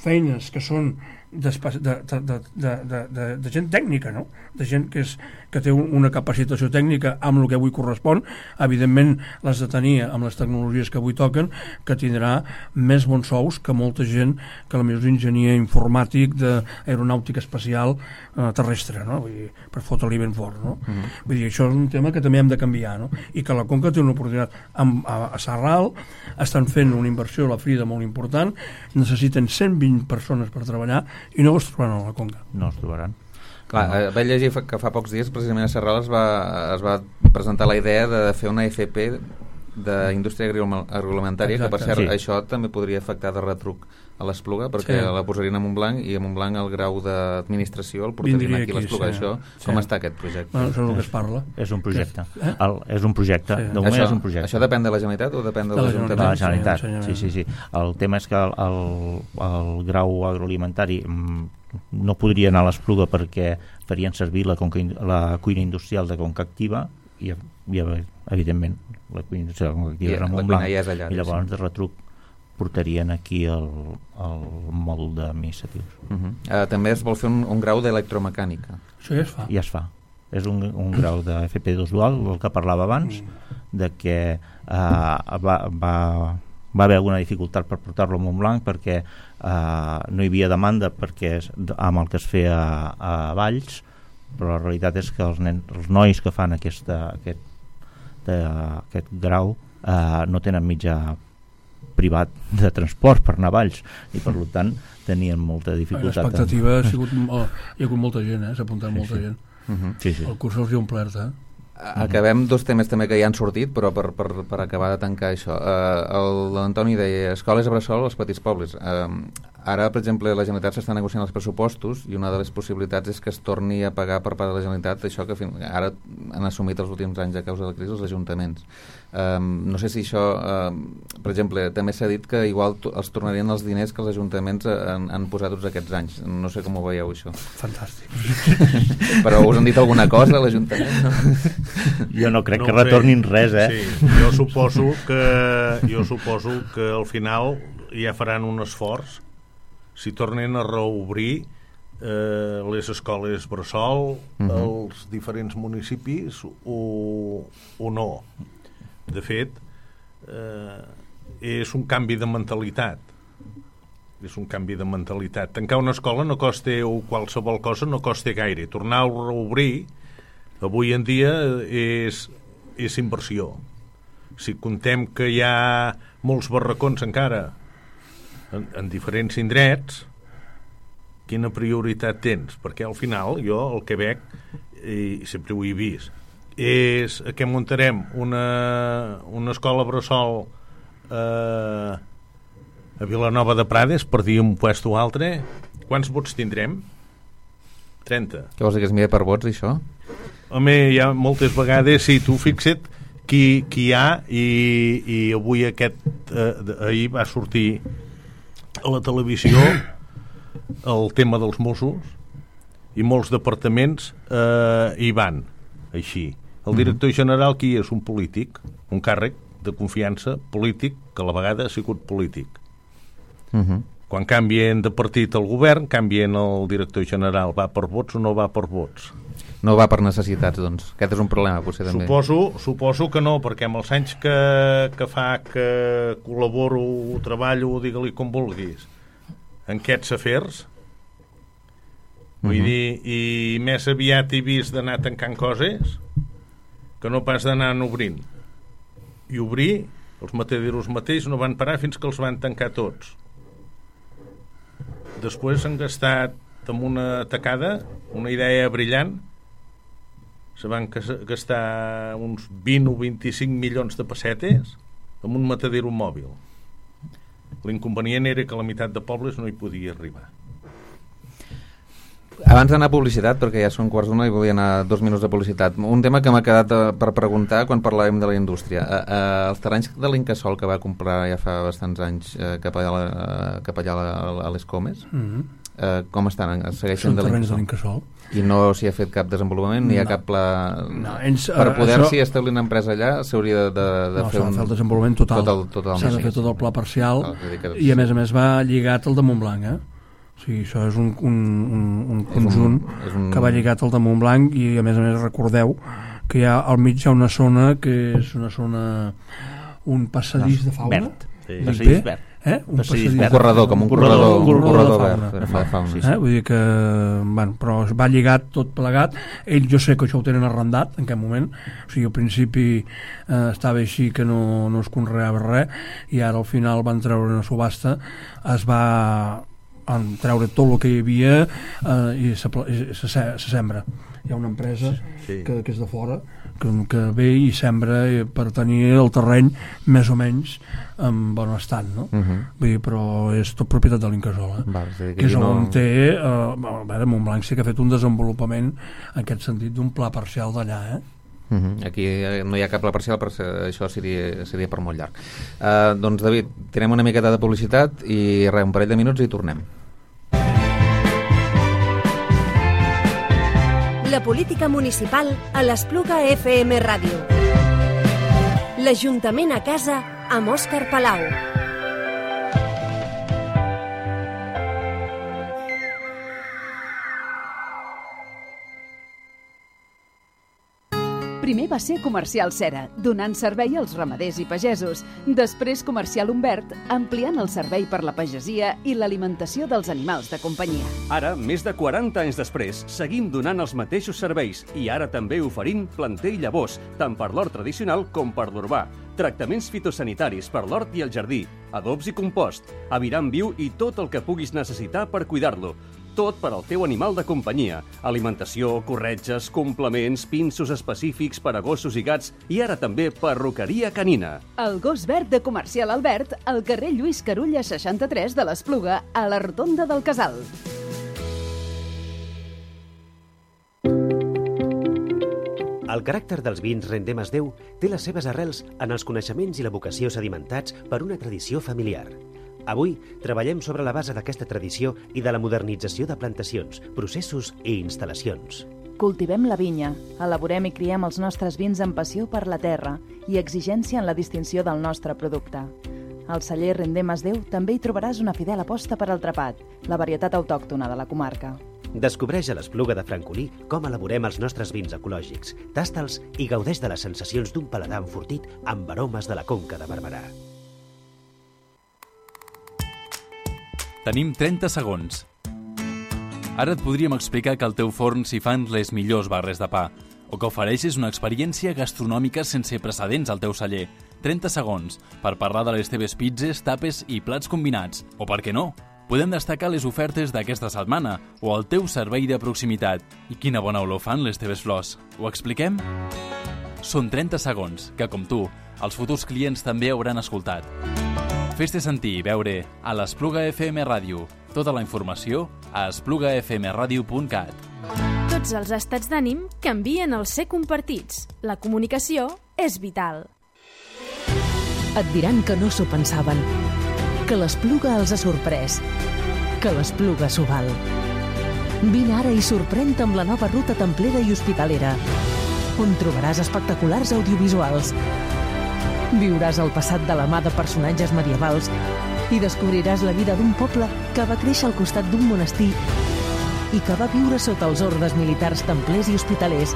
Speaker 4: feines que són de, de, de, de, de, de, de gent tècnica, no? De gent que, és, que té una capacitació tècnica amb el que avui correspon. Evidentment les de tenir amb les tecnologies que avui toquen, que tindrà més bons sous que molta gent que potser és enginyer informàtic d'aeronàutica espacial eh, terrestre, no? Vull dir, per fotre-li ben fort, no? Uh-huh. Vull dir, això és un tema que també hem de canviar, no? I que la Conca té una oportunitat. Amb, a, a Sarral estan fent una inversió a la Frida molt important, necessiten cent vint persones per treballar i no es trobaran a la Conca.
Speaker 3: No es trobaran.
Speaker 2: Clar, eh, vaig llegir que fa pocs dies precisament a Sarral es va, es va presentar la idea de fer una F P d'indústria agroalimentària. Exacte. Que per cert, sí. Això també podria afectar de retruc a l'Espluga, perquè sí. La posarien a Montblanc i a Montblanc el grau d'administració el portarien aquí, aquí a l'Espluga. Sí. Això, sí. Com està aquest projecte?
Speaker 4: Bueno, això és el que es parla.
Speaker 3: És un projecte. Eh? El, és un projecte. Sí. De moment
Speaker 2: això,
Speaker 3: és un projecte.
Speaker 2: Això depèn de la Generalitat o depèn de, de l'Ajuntament?
Speaker 3: De la Generalitat, sí, sí, sí. El tema és que el, el, el grau agroalimentari no podria anar a l'Espluga perquè farien servir la, conca, la cuina industrial de Conca Activa i, i evidentment la cuina industrial de Conca Activa és a Montblanc ja és allà, i llavors de retruc portarien aquí el, el mòdul d'administratius. Uh-huh.
Speaker 2: uh, també es vol fer un, un grau d'electromecànica.
Speaker 4: Això ja es fa.
Speaker 3: Ja es fa. És un, un grau de F P dos dual, el que parlava abans, mm. de que uh, va, va va haver alguna dificultat per portar-lo a Montblanc perquè eh, no hi havia demanda perquè amb el que es feia a, a Valls, però la realitat és que els, nen, els nois que fan aquesta, aquest, de, aquest grau eh, no tenen mitjà privat de transport per anar a Valls i per tant tenien molta dificultat.
Speaker 4: L'expectativa ha sigut, oh, hi ha hagut molta gent, eh? S'ha apuntat molta
Speaker 3: sí.
Speaker 4: gent.
Speaker 2: Uh-huh.
Speaker 3: Sí, sí.
Speaker 4: El curs els hi ha omplert, eh?
Speaker 2: Acabem dos temes també que ja han sortit, però per, per, per acabar de tancar això. Uh, L'Antoni deia escoles a bressol als petits pobles. Uh, ara, per exemple, la Generalitat s'està negociant els pressupostos i una de les possibilitats és que es torni a pagar per part de la Generalitat això que fin... ara han assumit els últims anys a causa de la crisi els ajuntaments. Um, no sé si això, um, per exemple, també s'ha dit que igual els tornarien els diners que els ajuntaments han, han posat tots aquests anys. No sé com ho veieu, això.
Speaker 4: Fantàstic.
Speaker 2: Però us han dit alguna cosa a l'Ajuntament? No?
Speaker 3: Jo no crec
Speaker 5: no
Speaker 3: que retornin
Speaker 5: sé.
Speaker 3: res, eh?
Speaker 5: Sí, jo suposo que jo suposo que al final ja faran un esforç si tornen a reobrir eh, les escoles bressol uh-huh. als diferents municipis o, o no. De fet, eh, és un canvi de mentalitat. És un canvi de mentalitat. Tancar una escola no costa, o qualsevol cosa no costa gaire. Tornar a reobrir, avui en dia, és, és inversió. Si contem que hi ha molts barracons encara en, en diferents indrets, quina prioritat tens? Perquè al final, jo el que veig, i sempre ho he vist, és que muntarem una, una escola bressol eh, a Vilanova de Prades, per dir un puesto o altre. Quants vots tindrem? trenta.
Speaker 2: Què vols dir, que es mira per vots, això?
Speaker 5: Home, hi ha moltes vegades, sí, tu fixa't qui, qui hi ha, i, i avui aquest eh, ahir va sortir a la televisió el tema dels Mossos, i molts departaments eh, hi van així. El director general qui és? Un polític, un càrrec de confiança polític, que a la vegada ha sigut polític.
Speaker 2: Uh-huh.
Speaker 5: Quan canvien de partit el govern, canvien el director general. Va per vots o no va per vots?
Speaker 2: No va per necessitats, doncs. Aquest és un problema, potser, també.
Speaker 5: Suposo, suposo que no, perquè amb els anys que, que fa que col·laboro, treballo, digue-li com vulguis, en aquests afers, vull uh-huh. dir, i més aviat he vist d'anar tancant coses que no pas d'anar obrint. I obrir, els mataderos mateix no van parar fins que els van tancar tots. Després han gastat amb una tacada, una idea brillant, se van gastar uns vint o vint-i-cinc milions de pessetes amb un matadero mòbil. L'inconvenient era que la meitat de pobles no hi podia arribar.
Speaker 2: Abans d'anar a publicitat, perquè ja són quarts d'una i volia anar dos minuts de publicitat, un tema que m'ha quedat per preguntar quan parlàvem de la indústria. Eh, eh, els terrenys de l'Incasòl que va comprar ja fa bastants anys eh, cap allà, eh, cap allà a, a les Comes, mm-hmm. eh, com estan? Segueixen
Speaker 4: són
Speaker 2: de
Speaker 4: terrenys de l'Incasòl.
Speaker 2: I no s'hi ha fet cap desenvolupament, no hi ha cap pla...
Speaker 4: No, ens,
Speaker 2: per poder-s'hi
Speaker 4: això...
Speaker 2: establir una empresa allà s'hauria de, de, de
Speaker 4: no,
Speaker 2: fer un...
Speaker 4: No, s'ha de fer el desenvolupament total.
Speaker 2: Tot el, tot el
Speaker 4: s'ha de fer tot el pla parcial,
Speaker 2: no, que...
Speaker 4: i a més a més va lligat al de Montblanc, eh? O sigui, això és un, un, un, un conjunt és un, és un... que va lligat al de Montblanc, i a més a més recordeu que hi ha al mig hi ha una zona que és una zona, un passadís de fauna
Speaker 3: verd, sí.
Speaker 4: passadís verd, eh? un, passadís
Speaker 2: un corredor, com un corredor, un corredor, un corredor verd de fauna,
Speaker 4: de fauna. Sí, sí. Eh? Vull dir que, bueno, però va lligat tot plegat. Ell, jo sé que això ho tenen arrendat en aquest moment, o sigui, al principi eh, estava així que no, no es conreava res, i ara al final van treure una subhasta, es va en treure tot el que hi havia eh, i se, se, se sembra. Hi ha una empresa sí. que, que és de fora que, que ve i sembra per tenir el terreny més o menys en bon estat, no? Uh-huh. Vull dir, però és tot propietat de l'Incasòl, eh?
Speaker 2: que,
Speaker 4: que és
Speaker 2: no...
Speaker 4: on té eh, a veure, Montblanc sí que ha fet un desenvolupament en aquest sentit d'un pla parcial d'allà, eh?
Speaker 2: Uh-huh. Aquí no hi ha cap pla parcial, però això seria, seria per molt llarg. Uh, doncs David, tenim una miqueta de publicitat i res, un parell de minuts i tornem.
Speaker 1: La política municipal a l'Espluga F M Ràdio. L'Ajuntament a casa amb Òscar Palau.
Speaker 6: Primer va ser Comercial Cera, donant servei als ramaders i pagesos. Després Comercial Humbert, ampliant el servei per la pagesia i l'alimentació dels animals de companyia.
Speaker 7: Ara, més de quaranta anys després, seguim donant els mateixos serveis i ara també oferint planter i llavors, tant per l'hort tradicional com per l'urbà. Tractaments fitosanitaris per l'hort i el jardí, adobs i compost, aviram viu i tot el que puguis necessitar per cuidar-lo. Tot per al teu animal de companyia. Alimentació, corretges, complements, pinços específics per a gossos i gats i ara també perruqueria canina.
Speaker 6: El gos verd de Comercial Albert, al carrer Lluís Carulla seixanta-tres de l'Espluga, a la Rotonda del Casal.
Speaker 8: El caràcter dels vins Rendem es Déu té les seves arrels en els coneixements i la vocació sedimentats per una tradició familiar. Avui treballem sobre la base d'aquesta tradició i de la modernització de plantacions, processos i instal·lacions.
Speaker 9: Cultivem la vinya, elaborem i criem els nostres vins amb passió per la terra i exigència en la distinció del nostre producte. Al celler Rendem es Déu també hi trobaràs una fidel aposta per al trapat, la varietat autòctona de la comarca.
Speaker 8: Descobreix a l'Espluga de Francolí com elaborem els nostres vins ecològics, tasta'ls i gaudeix de les sensacions d'un paladar enfortit amb aromes de la Conca de Barberà.
Speaker 10: Tenim trenta segons. Ara et podríem explicar que al teu forn s'hi fan les millors barres de pa o que ofereixes una experiència gastronòmica sense precedents al teu celler. trenta segons per parlar de les teves pizzas, tapes i plats combinats. O per què no? Podem destacar les ofertes d'aquesta setmana o el teu servei de proximitat. I quina bona olor fan les teves flors. Ho expliquem? Són trenta segons que, com tu, els futurs clients també hauran escoltat. Fes-te sentir i veure a l'Espluga F M Ràdio. Tota la informació a espluga f m radio punt cat.
Speaker 11: Tots els estats d'ànim canvien al ser compartits. La comunicació és vital.
Speaker 12: Et diran que no s'ho pensaven, que l'Espluga els ha sorprès, que l'Espluga s'ho val. Vine ara i sorprèn-te amb la nova ruta templera i hospitalera, on trobaràs espectaculars audiovisuals. Viuràs el passat de la mà de personatges medievals i descobriràs la vida d'un poble que va créixer al costat d'un monestir i que va viure sota els ordes militars templers i hospitalers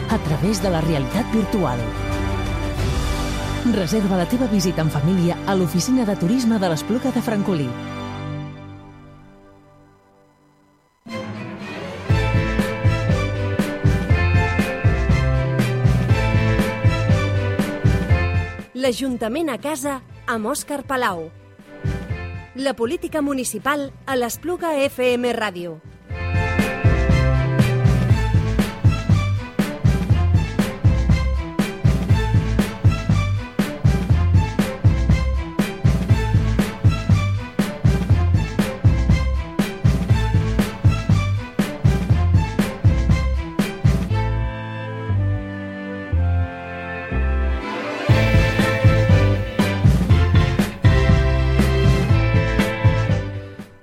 Speaker 12: a través de la realitat virtual. Reserva la teva visita en família a l'oficina de turisme de l'Espluga de Francolí.
Speaker 1: L'Ajuntament a casa amb Òscar Palau. La política municipal a l'Espluga F M Ràdio.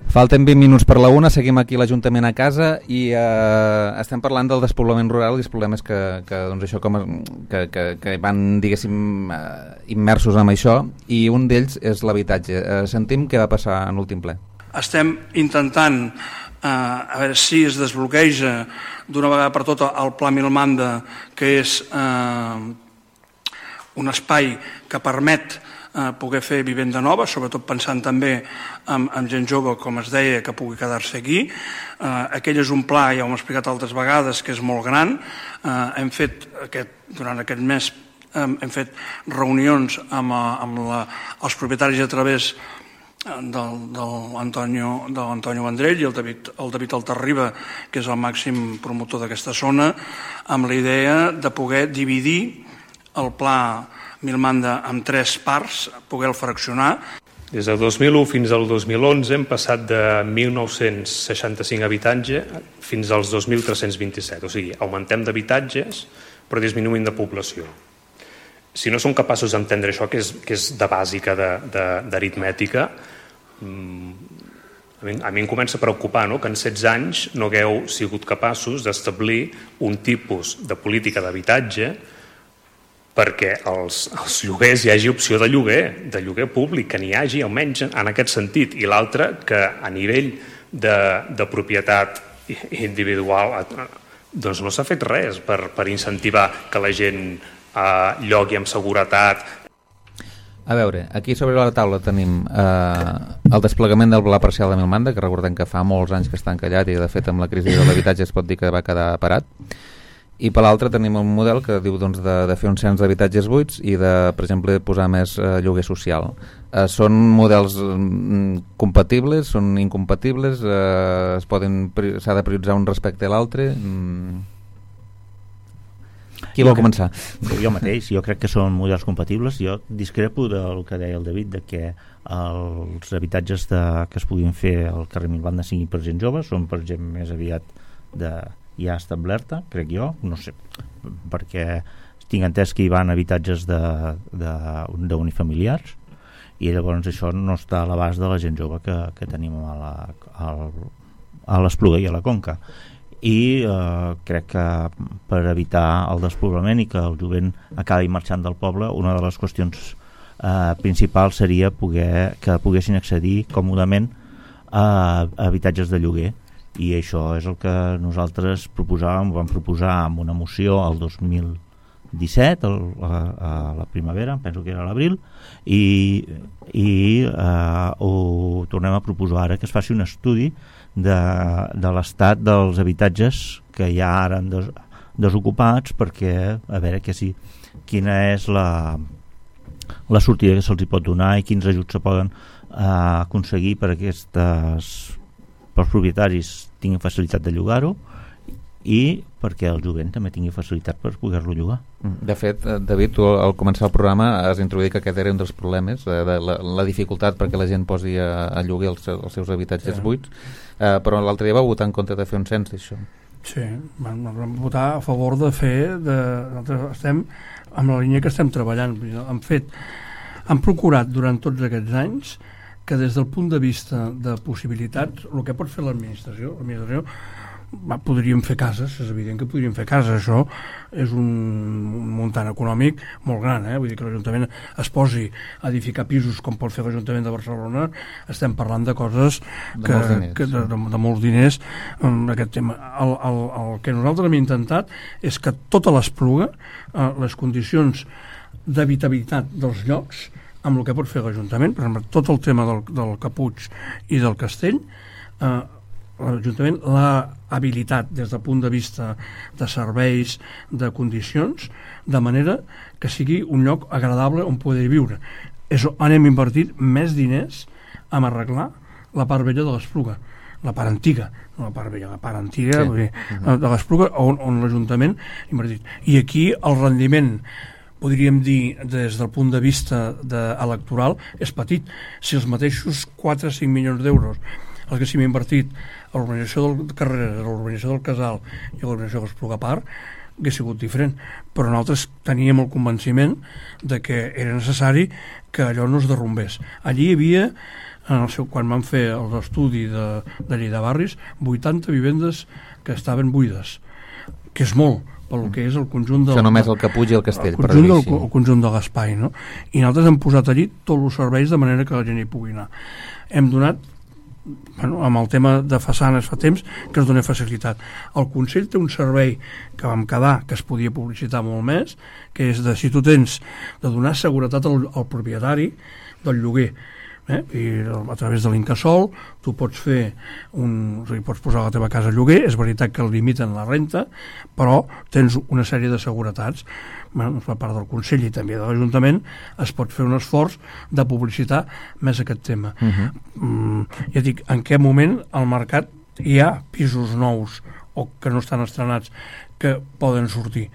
Speaker 2: Falten vint minuts per la una, seguim aquí a l'Ajuntament a casa i eh, estem parlant del despoblament rural i els problemes que, que, doncs això, com, que, que, que van, diguéssim, eh, immersos en això, i un d'ells és l'habitatge. Eh, sentim què va passar en l'últim ple.
Speaker 4: Estem intentant eh, a veure si es desbloqueja d'una vegada per tota el Pla Milmanda, que és eh, un espai que permet Eh, poder fer vivenda nova, sobretot pensant també en, en gent jove, com es deia, que pugui quedar-se aquí. Eh, aquell és un pla, ja ho hem explicat altres vegades, que és molt gran. Eh, hem fet, aquest, durant aquest mes, eh, hem fet reunions amb, amb la, els propietaris a través del, del Antonio, de l'Antonio Vendrell i el David, el David Altarriba, que és el màxim promotor d'aquesta zona, amb la idea de poder dividir el pla Milmanda amb tres parts, poder-lo fraccionar.
Speaker 13: Des del dos mil u fins al dos mil onze hem passat de mil nou-cents seixanta-cinc habitatges fins als dos mil tres-cents vint-i-set. O sigui, augmentem d'habitatges però disminuïm de població. Si no som capaços d'entendre això, que és, que és de bàsica d'aritmètica, a mi, a mi em comença a preocupar, no?, que en setze anys no hagueu sigut capaços d'establir un tipus de política d'habitatge perquè als, als lloguers hi hagi opció de lloguer, de lloguer públic, que n'hi hagi almenys en aquest sentit, i l'altre que a nivell de, de propietat individual doncs no s'ha fet res per, per incentivar que la gent eh, llogui amb seguretat.
Speaker 2: A veure, aquí sobre la taula tenim eh, el desplegament del pla parcial de Milmanda, que recordem que fa molts anys que està encallat i de fet amb la crisi de l'habitatge es pot dir que va quedar parat. I per l'altre tenim un model que diu doncs, de, de fer un cens d'habitatges buits i de, per exemple, posar més eh, lloguer social. Eh, són models mm, compatibles, són incompatibles, eh, es poden, s'ha de prioritzar un respecte a l'altre. Mm. Qui vol començar?
Speaker 3: Jo mateix, jo crec que són models compatibles. Jo discrepo del que deia el David, de que els habitatges de, que es puguin fer al carrer Milbanda siguin per gent jove, són per gent més aviat de, ja establerta, crec jo, no sé, perquè tinc entès que hi van habitatges d'unifamiliars i llavors això no està a l'abast de la gent jove que, que tenim a la, a l'Espluga i a la Conca. I eh, crec que per evitar el despoblament i que el jovent acabi marxant del poble, una de les qüestions eh, principals seria poder, que poguessin accedir còmodament a, a habitatges de lloguer, i això és el que nosaltres proposàvem, vam proposar amb una moció el dos mil disset, el, a, a la primavera, penso que era a l'abril, i, i eh, ho tornem a proposar ara, que es faci un estudi de, de l'estat dels habitatges que hi ha ara des, desocupats, perquè a veure que si, quina és la, la sortida que se'ls hi pot donar i quins ajuts se poden eh, aconseguir per aquestes, pels propietaris tinguin facilitat de llogar-ho i perquè el jovent també tingui facilitat per poder-lo llogar.
Speaker 2: De fet, David, tu al començar el programa has introduït que aquest era un dels problemes, de, de la, la dificultat perquè la gent posi a, a lloguer els, els seus habitatges sí. buits, eh, però l'altre dia va votar en contra de fer un cens d'això.
Speaker 4: Sí, vam, vam votar a favor de fer, de, nosaltres estem amb la línia que estem treballant, hem fet, hem procurat durant tots aquests anys que des del punt de vista de possibilitats, el que pot fer l'administració, l'administració va, podríem fer cases, és evident que podríem fer cases, això és un, un muntant econòmic molt gran, eh? Vull dir que l'Ajuntament es posi a edificar pisos com pot fer l'Ajuntament de Barcelona, estem parlant de coses
Speaker 2: de
Speaker 4: que,
Speaker 2: molts diners,
Speaker 4: que de, de, de molts diners en aquest tema. El, el, el que nosaltres hem intentat és que tota l'Espluga, eh, les condicions d'habitabilitat dels llocs, amb el que pot fer l'Ajuntament, per exemple, tot el tema del, del Caputx i del Castell, eh, l'Ajuntament l'ha habilitat des del punt de vista de serveis, de condicions, de manera que sigui un lloc agradable on poder viure. És on hem invertit més diners en arreglar la part vella de l'Espluga, la part antiga, no la part vella, la part antiga sí. dir, uh-huh. de l'Espluga, on, on l'Ajuntament ha invertit. I aquí el rendiment, podríem dir, des del punt de vista de, electoral, és petit. Si els mateixos quatre o cinc milions d'euros els que s'hi ha invertit a l'urbanització del Carreras, a l'urbanització del Casal i a l'urbanització de l'Espluga Park, hauria sigut diferent. Però nosaltres teníem el convenciment de que era necessari que allò no es derrumbés. Allí hi havia, en el seu, quan van fer l'estudi de, de llei de barris, vuitanta vivendes que estaven buides, que és molt, pel que és el conjunt del...
Speaker 2: Això només el Caputx i el Castell,
Speaker 4: el conjunt, del, el conjunt de l'espai, no? I nosaltres hem posat allí tots els serveis de manera que la gent hi pugui anar. Hem donat, bueno, amb el tema de façanes fa temps que es dona facilitat. El Consell té un servei que vam quedar, que es podia publicitar molt més, que és de, si tu tens de donar seguretat al, al propietari del lloguer, eh? I a través de l'Incasòl tu pots fer un, o sigui, pots posar la teva casa a lloguer, és veritat que limiten la renta, però tens una sèrie de seguretats. Bueno, per part del Consell i també de l'Ajuntament es pot fer un esforç de publicitar més aquest tema. Uh-huh. mm, ja dic, en què moment al mercat hi ha pisos nous o que no estan estrenats que poden sortir,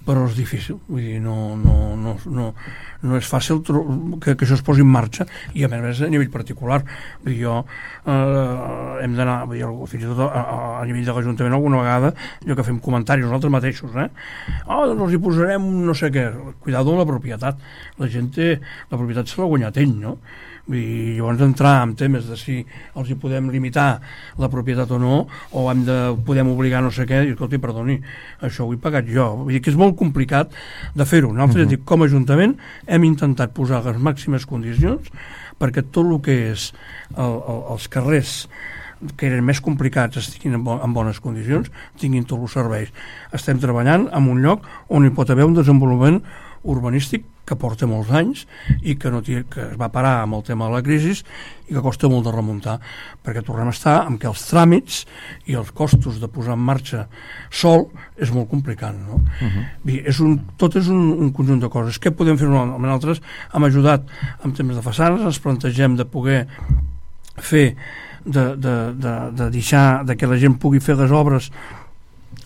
Speaker 4: però és difícil, vull dir, no, no, no, no, no és fàcil que, que això es posi en marxa, i a més a nivell particular. Vull dir, jo eh, hem d'anar, vull dir, fins i tot a, a nivell de l'Ajuntament alguna vegada, jo que fem comentaris nosaltres mateixos, eh? Oh, doncs els hi posarem no sé què, cuidado amb la propietat, la gent té, la propietat se l'ha guanyat ell, no? I llavors entrar en temes de si els hi podem limitar la propietat o no, o hem de, podem obligar no sé què, i escolti, perdoni, això ho he pagat jo. Vull dir que és molt complicat de fer-ho. Nosaltres, uh-huh. dic, com a Ajuntament hem intentat posar les màximes condicions perquè tot el que és el, el, els carrers que eren més complicats estiguin en, bo, en bones condicions, tinguin tots els serveis. Estem treballant en un lloc on hi pot haver un desenvolupament urbanístic que porta molts anys i que, no té, que es va parar amb el tema de la crisi i que costa molt de remuntar, perquè tornem a estar amb que els tràmits i els costos de posar en marxa sol és molt complicat, no? Uh-huh. Bé, és un, tot és un, un conjunt de coses. Què podem fer nosaltres? Hem ajudat en temes de façanes, ens plantegem de poder fer de, de, de, de deixar de que la gent pugui fer les obres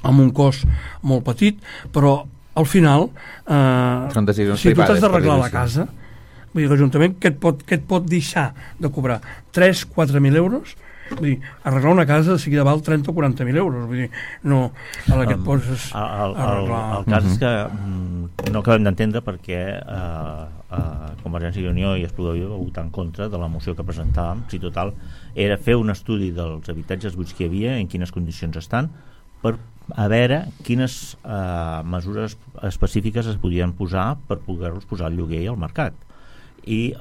Speaker 4: amb un cost molt petit, però al final eh, si tu t'has d'arreglar la casa, vull dir, l'Ajuntament què et pot, què et pot deixar de cobrar? tres a quatre mil euros? Vull dir, arreglar una casa de seguida val trenta o quaranta mil euros, vull dir, no, a la que et poses
Speaker 3: el, el, el, el cas és que mm, no acabem d'entendre perquè eh, eh, Convergència i Unió i Espluga Viva va votar en contra de la moció que presentàvem, si total era fer un estudi dels habitatges buits que hi havia, en quines condicions estan, per a veure quines eh, mesures específiques es podien posar per poder-los posar al lloguer i al mercat. I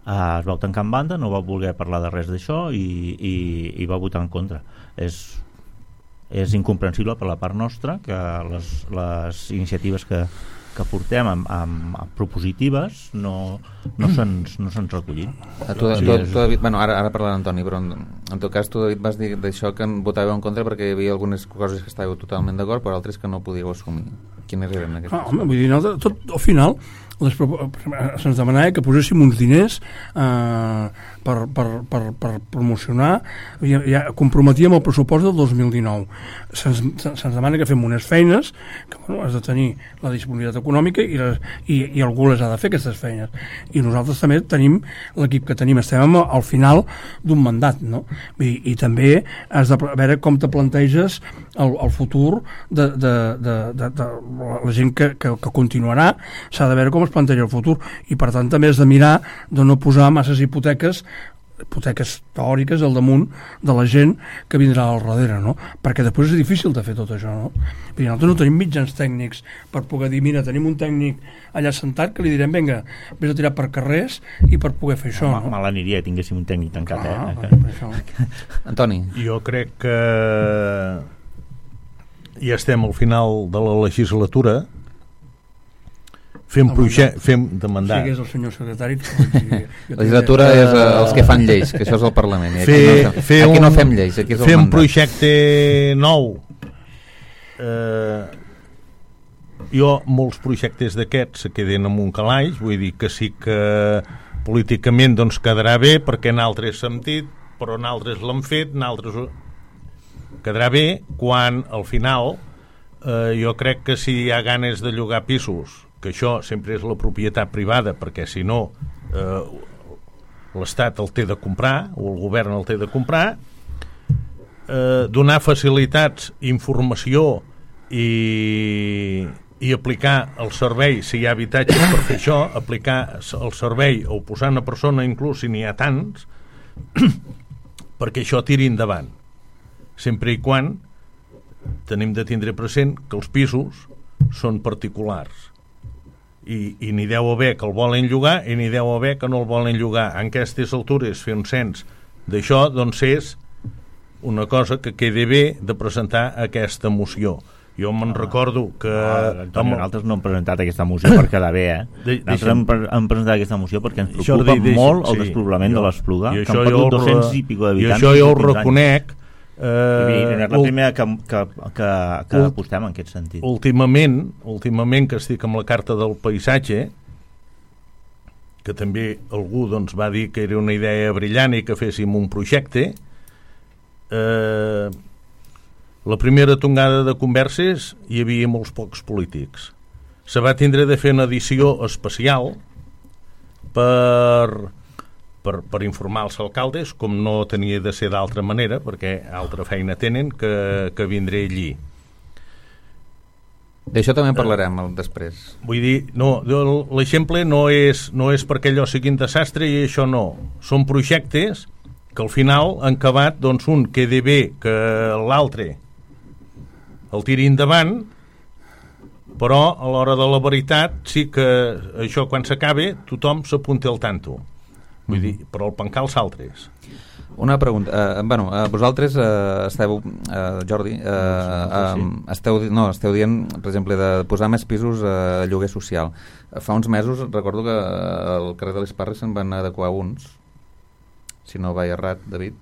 Speaker 3: Uh, es va tancar en banda, no va voler parlar de res d'això i, i, i va votar en contra. És, és incomprensible per la part nostra que les, les iniciatives que, que portem amb, amb, amb propositives no, no se'ns no se'ns recollit.
Speaker 2: A tu, tu, tu, tu, David, bueno, ara, ara parlarà Antoni, però en, en tot cas tu, David, vas dir d'això que en votàveu en contra perquè hi havia algunes coses que estàveu totalment d'acord, però altres que no podíeu assumir. Quines eren aquestes?
Speaker 4: Ah, home, vull dir, no, tot, al final les, se'ns demanava que poséssim uns diners eh, per, per, per, per promocionar, ja, ja comprometíem el pressupost del dos mil dinou. Se'ns, se'ns demana que fem unes feines que bueno, has de tenir la disponibilitat econòmica i, les, i, i algú les ha de fer aquestes feines, i nosaltres també tenim l'equip que tenim, estem al final d'un mandat, no? I, i també has de veure com te planteges el, el futur de, de, de, de, de la gent que, que, que continuarà, s'ha de veure com es planteja el futur, i per tant també has de mirar de no posar masses hipoteques hipoteques teòriques al damunt de la gent que vindrà al darrere, no? Perquè després és difícil de fer tot això, no? Perquè nosaltres no tenim mitjans tècnics per poder dir, mira, tenim un tècnic allà sentat que li direm, vinga, vés a tirar per carrers i per poder fer això, no?
Speaker 3: Mal aniria que tinguéssim un tècnic tancat, ah, eh?
Speaker 4: Per això.
Speaker 2: Antoni.
Speaker 5: Jo crec que ja estem al final de la legislatura, fem projecte, fem de mandat.
Speaker 4: Sí, que és el senyor secretari.
Speaker 2: La legislatura és uh, els que fan lleis, que això és el Parlament. I aquí,
Speaker 5: fer,
Speaker 2: no,
Speaker 5: fer
Speaker 2: aquí
Speaker 5: un,
Speaker 2: no fem lleis, aquí és el
Speaker 5: fer
Speaker 2: mandat.
Speaker 5: Un projecte nou. Eh, jo, molts projectes d'aquests se queden en un calaix, vull dir que sí que políticament doncs quedarà bé, perquè en altres sentit, però en altres l'han fet, en altres quedarà bé, quan al final eh, jo crec que si hi ha ganes de llogar pisos, que això sempre és la propietat privada, perquè si no eh, l'Estat el té de comprar o el govern el té de comprar, eh, donar facilitats, informació i, i aplicar el servei, si hi ha habitatges per fer això, aplicar el servei o posar una persona inclús si n'hi ha tants perquè això tiri endavant, sempre i quan tenim de tindre present que els pisos són particulars i, i n'hi deu haver que el volen llogar i n'hi deu haver que no el volen llogar. En aquestes altures fer un cens d'això doncs és una cosa que quedi bé de presentar aquesta moció. Jo me'n ah, recordo que...
Speaker 3: Ah, Antoni, amb... nosaltres no hem presentat aquesta moció per quedar bé, eh? De, nosaltres hem, hem presentat aquesta moció perquè ens preocupa Jordi, deixa, molt el sí, despoblament jo, de l'Espluga, que han perdut dos-cents i pico d'habitants.
Speaker 5: I això jo ho reconec.
Speaker 3: Eh, I és la primera que, que, que, que ult, apostem en aquest sentit.
Speaker 5: Últimament, últimament que estic amb la carta del paisatge, que també algú doncs, va dir que era una idea brillant i que féssim un projecte, eh, la primera tongada de converses hi havia molts pocs polítics. Se va tindre de fer una edició especial per... Per, per informar els alcaldes, com no tenia de ser d'altra manera, perquè altra feina tenen que, que vindré allí.
Speaker 2: D'això també parlarem uh, després.
Speaker 5: Vull dir, no, l'exemple no és, no és perquè allò sigui un desastre i això no. Són projectes que al final han acabat, doncs un quedi bé que l'altre el tiri endavant, però a l'hora de la veritat sí que això quan s'acabe tothom s'apunta al tanto. Vull dir, però el pencar els altres.
Speaker 2: Una pregunta, uh, bueno, uh, vosaltres uh, esteu, uh, Jordi, uh, uh, esteu, no, esteu dient, per exemple, de posar més pisos a uh, lloguer social. Uh, fa uns mesos recordo que uh, al carrer de les Parres se'n van adequar uns, si no vaig errat, David,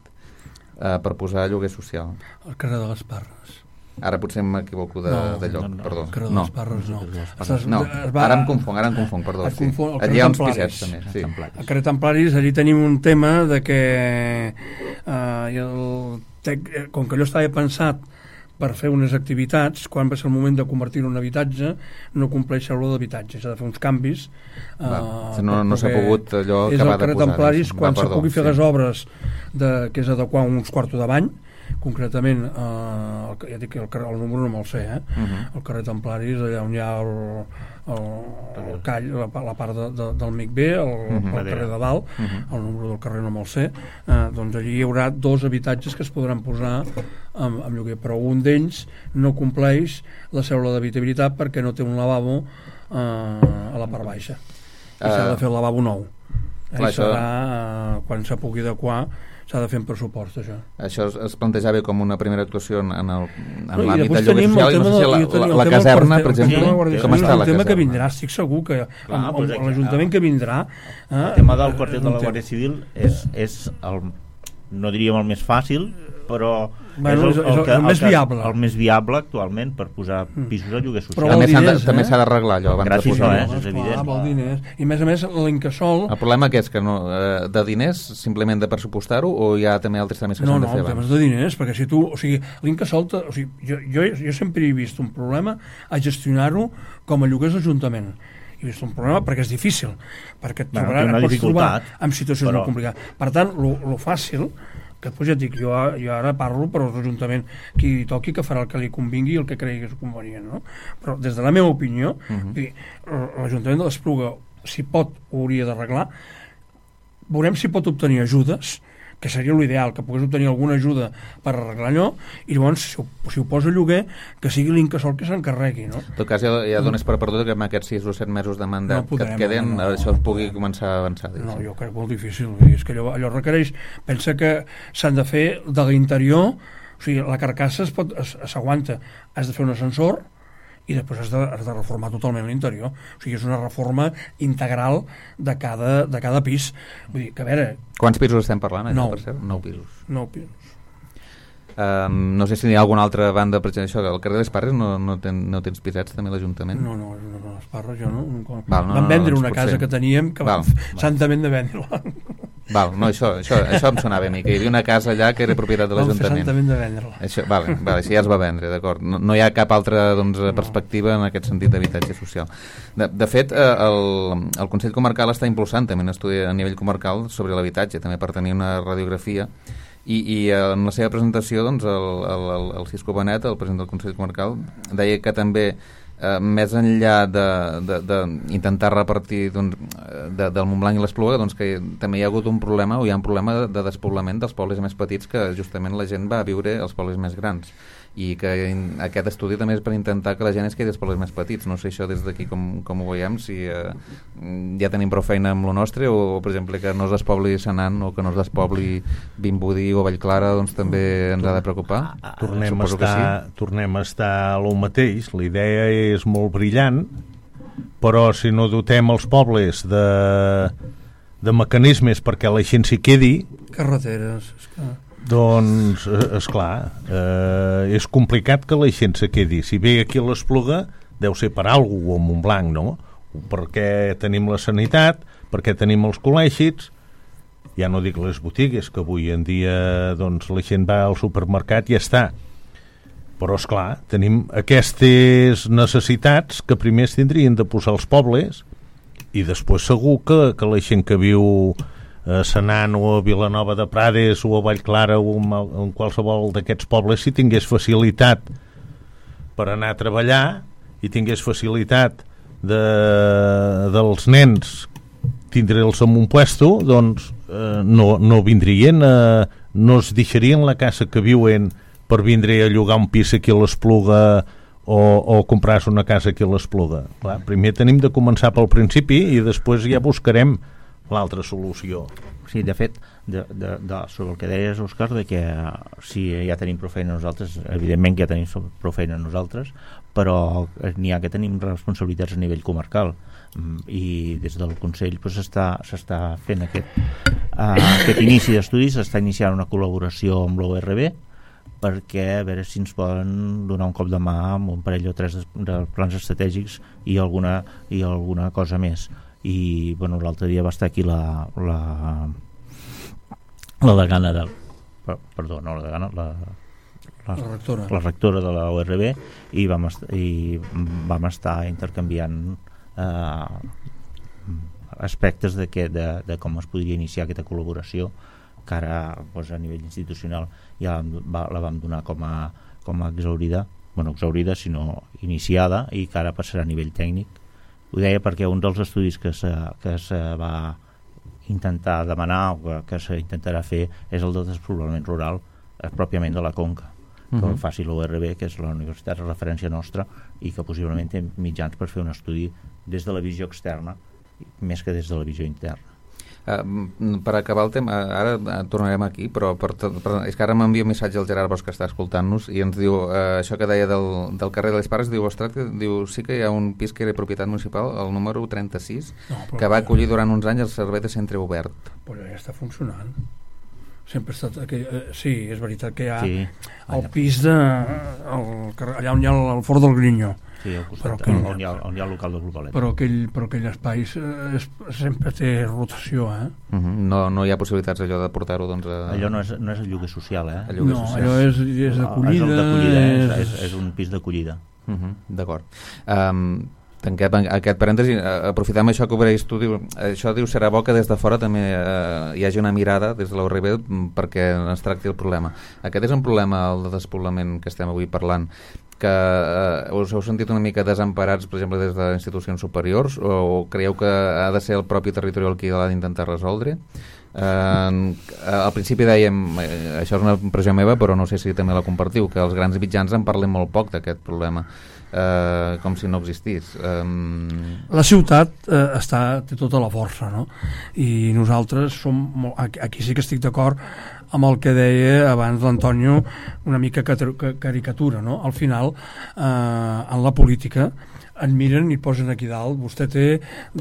Speaker 2: uh, per posar lloguer social.
Speaker 4: Al carrer de les Parres.
Speaker 2: Ara potser m'equivoco de,
Speaker 4: no,
Speaker 2: de lloc,
Speaker 4: no, no,
Speaker 2: perdó.
Speaker 4: El carrer de
Speaker 2: no.
Speaker 4: les Parres no.
Speaker 2: Estàs, no, va, ara em confong, ara em confong, perdó. Sí.
Speaker 4: Confon,
Speaker 2: Allí hi ha uns pisets també. Sí.
Speaker 4: Al carrer Templaris, allí tenim un tema de que uh, el tec, com que allò estava pensat per fer unes activitats, quan va ser el moment de convertir-ho en habitatge, no compleix el d'habitatge, s'ha de fer uns canvis.
Speaker 2: Va, uh, no no s'ha pogut allò acabar de posar. És el carrer
Speaker 4: Templaris, quan
Speaker 2: va,
Speaker 4: se pugui fer sí. les obres de, que és adequar uns quartos de bany, concretament eh, ja dic que el, el número no me'l sé eh? uh-huh. El carrer Templaris, allà on hi ha el, el, el call, la, la part de, de, del M I C B, el, uh-huh. el carrer de dalt, uh-huh. el número del carrer no me'l sé, eh, doncs allí hi haurà dos habitatges que es podran posar amb, amb lloguer, però un d'ells no compleix la cèdula d'habitabilitat perquè no té un lavabo eh, a la part baixa i uh, s'ha de fer el lavabo nou eh, clar, serà eh, quan se pugui adequar s'ha de fer en pressupost, això.
Speaker 2: Això es, es plantejava com una primera actuació en, en
Speaker 4: no,
Speaker 2: l'àmbit del lloguer social, i no sé si la, la, la, la caserna, per exemple,
Speaker 4: sí, com està la caserna? El tema que vindrà, estic segur que Clar, amb, amb, amb l'Ajuntament que vindrà...
Speaker 3: Eh, el tema del quarter de la Guàrdia Civil és, és el, no diríem el més fàcil, però
Speaker 4: bueno, és, el, el, el, que,
Speaker 3: el,
Speaker 4: més
Speaker 3: el,
Speaker 4: viable.
Speaker 3: el més viable actualment per posar pisos a lloguer social.
Speaker 2: Però també s'ha
Speaker 4: diners,
Speaker 2: eh? d'arreglar allò abans
Speaker 3: Gràcies,
Speaker 2: de posar.
Speaker 3: No, eh? És evident.
Speaker 4: Clar, diners. I a més a més l'Incasol...
Speaker 2: El problema que és que no, de diners simplement de pressupostar-ho o hi ha també altres temes que
Speaker 4: no,
Speaker 2: s'han de
Speaker 4: no,
Speaker 2: fer
Speaker 4: abans? No,
Speaker 2: no,
Speaker 4: temes de diners, perquè si tu... O sigui, l'Incasol... O sigui, jo, jo, jo sempre he vist un problema a gestionar-ho com a lloguers d'Ajuntament. He vist un problema perquè és difícil, perquè et,
Speaker 3: bueno,
Speaker 4: trobarà, et pots trobar en situacions
Speaker 3: però...
Speaker 4: molt complicades. Per tant, lo fàcil... que després ja et dic, jo, jo ara parlo per l'Ajuntament, qui toqui que farà el que li convingui i el que cregui que és convenient, no? Però des de la meva opinió, uh-huh. dir, l'Ajuntament de l'Espluga, si pot, ho hauria d'arreglar. Veurem si pot obtenir ajudes, que seria l'ideal, que pogués obtenir alguna ajuda per arreglar allò, i llavors, si ho, si ho posa a lloguer, que sigui l'Incasol que s'encarregui, no?
Speaker 2: En tot cas, ja, ja dones per perdut que amb aquests sis o set mesos de mandat no podrem, que et queden, no, no, això es pugui començar a avançar.
Speaker 4: No, jo crec molt difícil. És que allò, allò requereix... Pensa que s'han de fer de l'interior, o sigui, la carcassa es pot, s'aguanta, has de fer un ascensor, i després has de, has de reformar totalment l'interior. O sigui, és una reforma integral de cada, de cada pis. Vull dir, que a veure...
Speaker 2: Quants pisos estem parlant? Eh,
Speaker 4: nou.
Speaker 2: Per cert? Nou pisos.
Speaker 4: Nou pisos.
Speaker 2: Um, no sé si hi ha alguna altra banda, per exemple, això, al carrer de les Parres no, no, ten, no tens pisets també l'Ajuntament?
Speaker 4: No, no, no, les Parres jo no.
Speaker 2: Val, no
Speaker 4: Van vendre
Speaker 2: no,
Speaker 4: una casa que teníem que
Speaker 2: val,
Speaker 4: van santament de vendre-la.
Speaker 2: Val, no, això, això, això em sonava a mi, que hi havia una casa allà que era propietat de l'Ajuntament.
Speaker 4: Van fer santament de vendre-la.
Speaker 2: Això, vale, vale, això ja es va vendre, d'acord. No, no hi ha cap altra doncs, perspectiva en aquest sentit d'habitatge social. De, de fet, el, el Consell Comarcal està impulsant també un estudi a nivell comarcal sobre l'habitatge, també per tenir una radiografia. I, i en la seva presentació doncs, el, el, el, el Cisco Benet, el president del Consell Comarcal, deia que també eh, més enllà d'intentar repartir doncs, de, del Montblanc i l'Espluga, doncs, que també hi ha hagut un problema o hi ha un problema de, de despoblament dels pobles més petits, que justament la gent va a viure als pobles més grans, i que aquest estudi també és per intentar que la gent es quedi als pobles més petits. No sé això des d'aquí com, com ho veiem, si eh, ja tenim prou feina amb lo nostre o, per exemple, que no es despobli Senan o que no es despobli Vimbodí o Vallclara, doncs també ens ha de preocupar.
Speaker 5: Tornem a estar, sí. tornem a estar a lo mateix. La idea és molt brillant, però si no dotem els pobles de, de mecanismes perquè la gent s'hi quedi...
Speaker 4: Carreteres, és que...
Speaker 5: Doncs, esclar, eh, és complicat que la gent se quedi. Si ve aquí a l'Espluga, deu ser per alguna cosa, o a Montblanc, no? Perquè tenim la sanitat, perquè tenim els col·legis, ja no dic les botigues, que avui en dia doncs, la gent va al supermercat i ja està. Però, esclar, tenim aquestes necessitats que primer es tindrien de posar als pobles i després segur que, que la gent que viu a Senan o a Vilanova de Prades o a Vallclara o en qualsevol d'aquests pobles, si tingués facilitat per anar a treballar i tingués facilitat de, dels nens tindre'ls en un puesto, doncs eh, no, no vindrien a, no es deixarien la casa que viuen per vindre a llogar un pis aquí a l'Espluga o, o comprar-se una casa aquí a l'Espluga. Clar, primer tenim de començar pel principi i després ja buscarem l'altra solució.
Speaker 3: Sí, de fet, de, de, de, sobre el que deies, Òscar, de que sí, ja tenim prou feina nosaltres, evidentment que ja tenim prou feina nosaltres, però n'hi ha que tenim responsabilitats a nivell comarcal, i des del Consell pues, s'està, s'està fent aquest, uh, aquest inici d'estudis, s'està iniciant una col·laboració amb l'O R B perquè a veure si ens poden donar un cop de mà amb un parell o tres de, de plans estratègics i alguna, i alguna cosa més. I bueno, l'altre dia va estar aquí la la, la degana del perdó, no la degana la, la,
Speaker 4: la, rectora.
Speaker 3: la rectora de la O R B i vam, est i vam estar intercanviant eh, aspectes de, que, de, de com es podria iniciar aquesta col·laboració que ara doncs, a nivell institucional ja va, la vam donar com a, com a exhaurida, bueno, exhaurida sinó iniciada i que ara passarà a nivell tècnic. Ho deia perquè un dels estudis que se, que se va intentar demanar o que, que s'intentarà fer és el del despoblament rural eh, pròpiament de la Conca, que uh-huh. el faci l'O R B, que és la universitat de referència nostra i que possiblement té mitjans per fer un estudi des de la visió externa més que des de la visió interna.
Speaker 2: Uh, per acabar el tema, ara uh, tornarem aquí, però per tot, per, és que ara m'envia un missatge al Gerard Bosch que està escoltant-nos i ens diu, uh, això que deia del, del carrer de les Pares, diu, ostres, diu, sí que hi ha un pis que era propietat municipal, el número trenta-sis, no, que va acollir durant uns anys el servei de centre obert.
Speaker 4: Però ja està funcionant. Sempre ha estat aquell, eh, sí, és veritat que hi ha
Speaker 3: sí.
Speaker 4: el pis de el, allà on hi ha el, el Fort del Grinyó.
Speaker 3: Sí, al costat, aquell, on, hi ha, on hi ha el local de Globalet.
Speaker 4: Però aquell, però aquell espai es, sempre té rotació, eh?
Speaker 2: Uh-huh. no, no hi ha possibilitats allò de portar-ho, doncs... A...
Speaker 3: Allò no és, no és el lloguer social, eh?
Speaker 2: El lloguer
Speaker 4: no,
Speaker 2: social.
Speaker 4: allò és, és d'acollida.
Speaker 3: És, d'acollida és... És, és un pis d'acollida.
Speaker 2: Uh-huh. D'acord. Um, tanquem aquest parèntesi, aprofitem això que obreix tu, diu, això diu serà bo que des de fora també eh, hi hagi una mirada des de l'O R B perquè es tracti el problema. Aquest és un problema, el de despoblament que estem avui parlant, que eh, us heu sentit una mica desemparats, per exemple, des de institucions superiors, o creieu que ha de ser el propi territori el qui l'ha d'intentar resoldre? Eh, al principi dèiem, eh, això és una impressió meva, però no sé si també la compartiu, que els grans mitjans en parlen molt poc d'aquest problema. Uh, com si no existís. Um...
Speaker 4: La ciutat uh, està, té tota la força, no? I nosaltres som molt, aquí sí que estic d'acord amb el que deia abans l'Antonio, una mica caricatura, no? Al final, uh, en la política en miren i posen aquí dalt, vostè té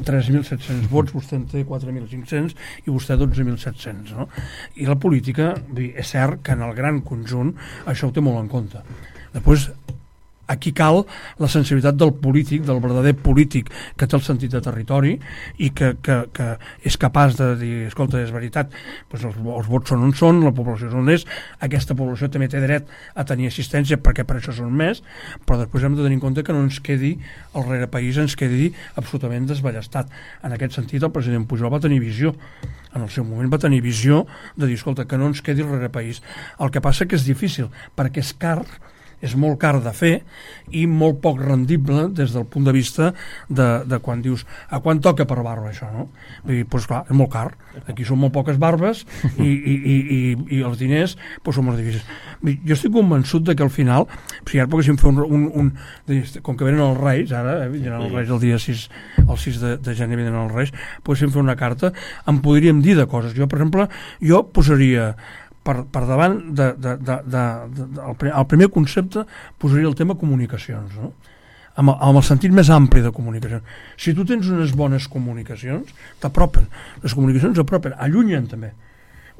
Speaker 4: tres mil set-cents vots, vostè en té quatre mil cinc-cents i vostè dotze mil set-cents, no? I la política, és cert que en el gran conjunt això ho té molt en compte. Després, aquí cal la sensibilitat del polític, del verdader polític que té el sentit de territori i que, que, que és capaç de dir, escolta, és veritat, doncs els, els vots són on són, la població és on és, aquesta població també té dret a tenir assistència perquè per això són més, però després hem de tenir en compte que no ens quedi el rerepaís, ens quedi absolutament desballestat. En aquest sentit, el president Pujol va tenir visió, en el seu moment va tenir visió de dir, escolta, que no ens quedi el rerepaís. El que passa que és difícil, perquè és car, és molt car de fer i molt poc rendible des del punt de vista de, de quan dius a quan toca per barba això, no? Vull dir, doncs clar, és molt car, aquí són molt poques barbes i, i, i, i, i els diners doncs són molt difícils. Jo estic convençut de que al final, si ara poguéssim fer un, un, un com que venen els Reis ara, eh, venen els Reis el dia sis, el sis de, de gener venen els Reis, poguéssim fer una carta, en podríem dir de coses. Jo, per exemple, jo posaria Per, per davant de, de, de, de, de, de, el, el primer concepte posaria el tema comunicacions, no? Amb, amb el sentit més ampli de comunicacions. Si tu tens unes bones comunicacions, t'apropen, les comunicacions apropen, allunyen també,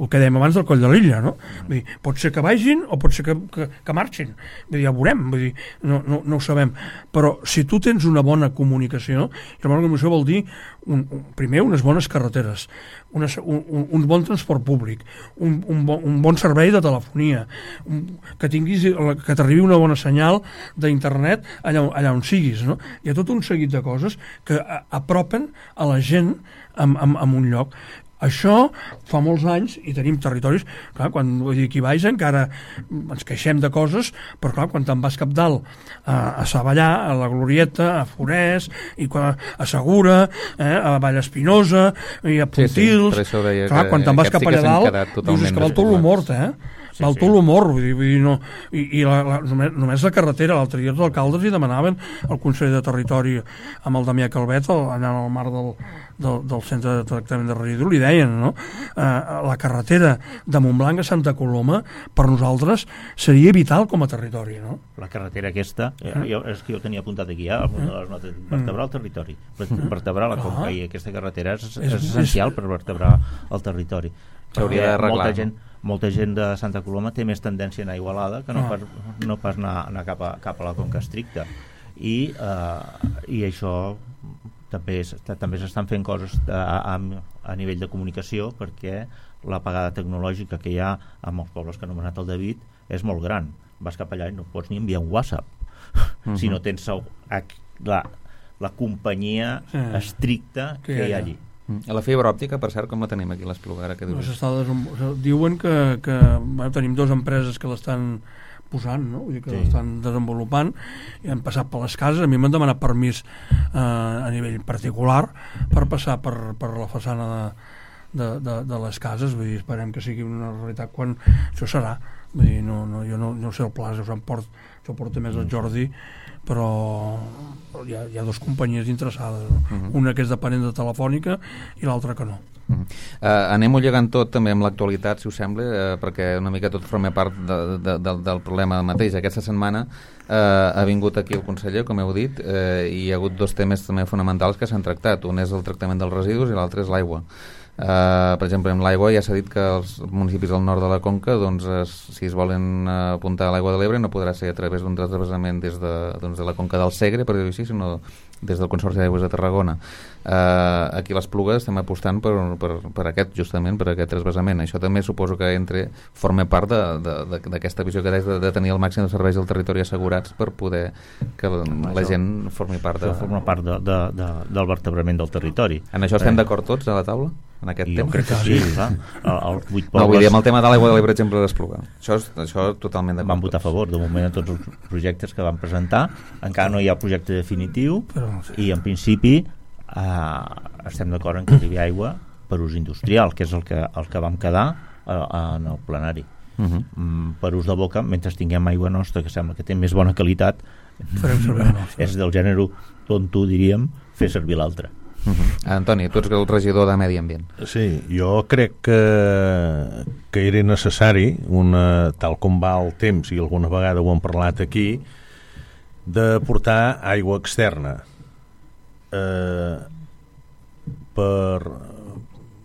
Speaker 4: el que dèiem abans del Coll de l'Illa, no? Vull dir, pot ser que vagin o pot ser que, que, que marxin, vull dir, ja ho veurem, vull dir, no, no, no ho sabem, però si tu tens una bona comunicació, i la bona comunicació vol dir un, un, primer unes bones carreteres, una, un, un bon transport públic, un, un, bon, un bon servei de telefonia, un, que tinguis, que t'arribi una bona senyal d'internet allà, allà on siguis, no? Hi ha tot un seguit de coses que a, apropen a la gent en, en, en un lloc. Això fa molts anys i tenim territoris, clar, quan vull dir, aquí baix encara ens queixem de coses, però clar, quan te'n vas cap dalt a, a Savallà, a la Glorieta, a Forès, i quan, a Segura, eh, a Vallespinosa i a Pontils,
Speaker 2: sí, sí,
Speaker 4: clar, quan te'n vas cap allà dalt dius, és que val tot lo mort, eh? sí, val sí. tot l'humor, vull dir, vull dir no, i, i la, la, només, només la carretera, l'altre dia els alcaldes hi demanaven al Consell de Territori amb el Damià Calvet, el, allà al mar del, del, del centre de tractament de residus, li deien, no? Eh, la carretera de Montblanc a Santa Coloma per nosaltres seria vital com a territori, no?
Speaker 3: La carretera aquesta, eh, jo, és que jo tenia apuntat aquí ja, eh, de les notes, vertebrar el territori, vertebrar la conca, i aquesta carretera és, és, és essencial per vertebrar el territori.
Speaker 2: S'hauria d'arreglar.
Speaker 3: Molta gent, molta gent de Santa Coloma té més tendència a anar a Igualada que no, ah. pas, no pas anar, anar cap, a, cap a la conca estricta, i, eh, i això també, també s'estan fent coses a, a, a nivell de comunicació, perquè l'apagada tecnològica que hi ha amb els pobles que ha anomenat el David és molt gran. Vas cap allà i no pots ni enviar un WhatsApp uh-huh. si no tens el, la, la companyia sí. estricta que, que hi ha allí.
Speaker 2: A la fibra òptica, per cert, com la tenim aquí a l'Espluga? Ara que dius?
Speaker 4: No, diuen que, que bueno, tenim dues empreses que l'estan posant, no? Vull dir que sí. l'estan desenvolupant, i han passat per les cases. A mi m'han demanat permís eh, a nivell particular per passar per, per la façana de, de, de, de les cases. Vull dir, esperem que sigui una realitat quan això serà. Vull dir, no, no, jo no, no sé el pla, això porta, això porta més el Jordi, però hi ha, hi ha dues companyies interessades, no? Uh-huh. Una que és dependent de Telefònica i l'altra que no.
Speaker 2: Uh-huh. uh, Anem-ho llegant tot també amb l'actualitat, si us sembla, uh, perquè una mica tot forma part de, de, de, del problema mateix. Aquesta setmana uh, ha vingut aquí el conseller, com heu dit, uh, i hi ha hagut dos temes també fonamentals que s'han tractat. Un és el tractament dels residus i l'altre és l'aigua. Uh, per exemple, amb l'aigua ja s'ha dit que els municipis del nord de la Conca, doncs, es, si es volen uh, apuntar a l'aigua de l'Ebre, no podrà ser a través d'un transvasament des de, doncs, de la Conca del Segre, per dir-ho així, sinó des del Consorci d'Aigües de Tarragona. Uh, aquí a l'Espluga estem apostant per, per, per aquest, justament, per aquest transvasament. Això també suposo que entre forma part d'aquesta visió que deies de, de tenir el màxim de serveis del territori assegurats per poder que la això, gent formi part, de,
Speaker 3: forma part de, de, de, del vertebrament del territori.
Speaker 2: En això estem eh. d'acord tots a la taula? En aquest
Speaker 3: jo
Speaker 2: tema?
Speaker 3: crec que sí, clar. El, el vuit pobles...
Speaker 2: No, vull dir, amb el tema de l'aigua de l'Ebre, per exemple, d'Espluga. Això, això totalment d'acord.
Speaker 3: Van votar a favor, de moment, a tots els projectes que van presentar. Encara no hi ha projecte definitiu, però, sí. i en principi eh, estem d'acord en que arribi aigua per ús industrial, que és el que, el que vam quedar eh, en el plenari. Uh-huh. mm, per ús de boca, mentre tinguem aigua nostra, que sembla que té més bona qualitat, és del gènere tonto, diríem, fer servir l'altre.
Speaker 2: Uh-huh. Antoni, tu ets el regidor de Medi Ambient.
Speaker 5: Sí, jo crec que, que era necessari, una, tal com va el temps, i alguna vegada ho hem parlat aquí, de portar aigua externa eh, per,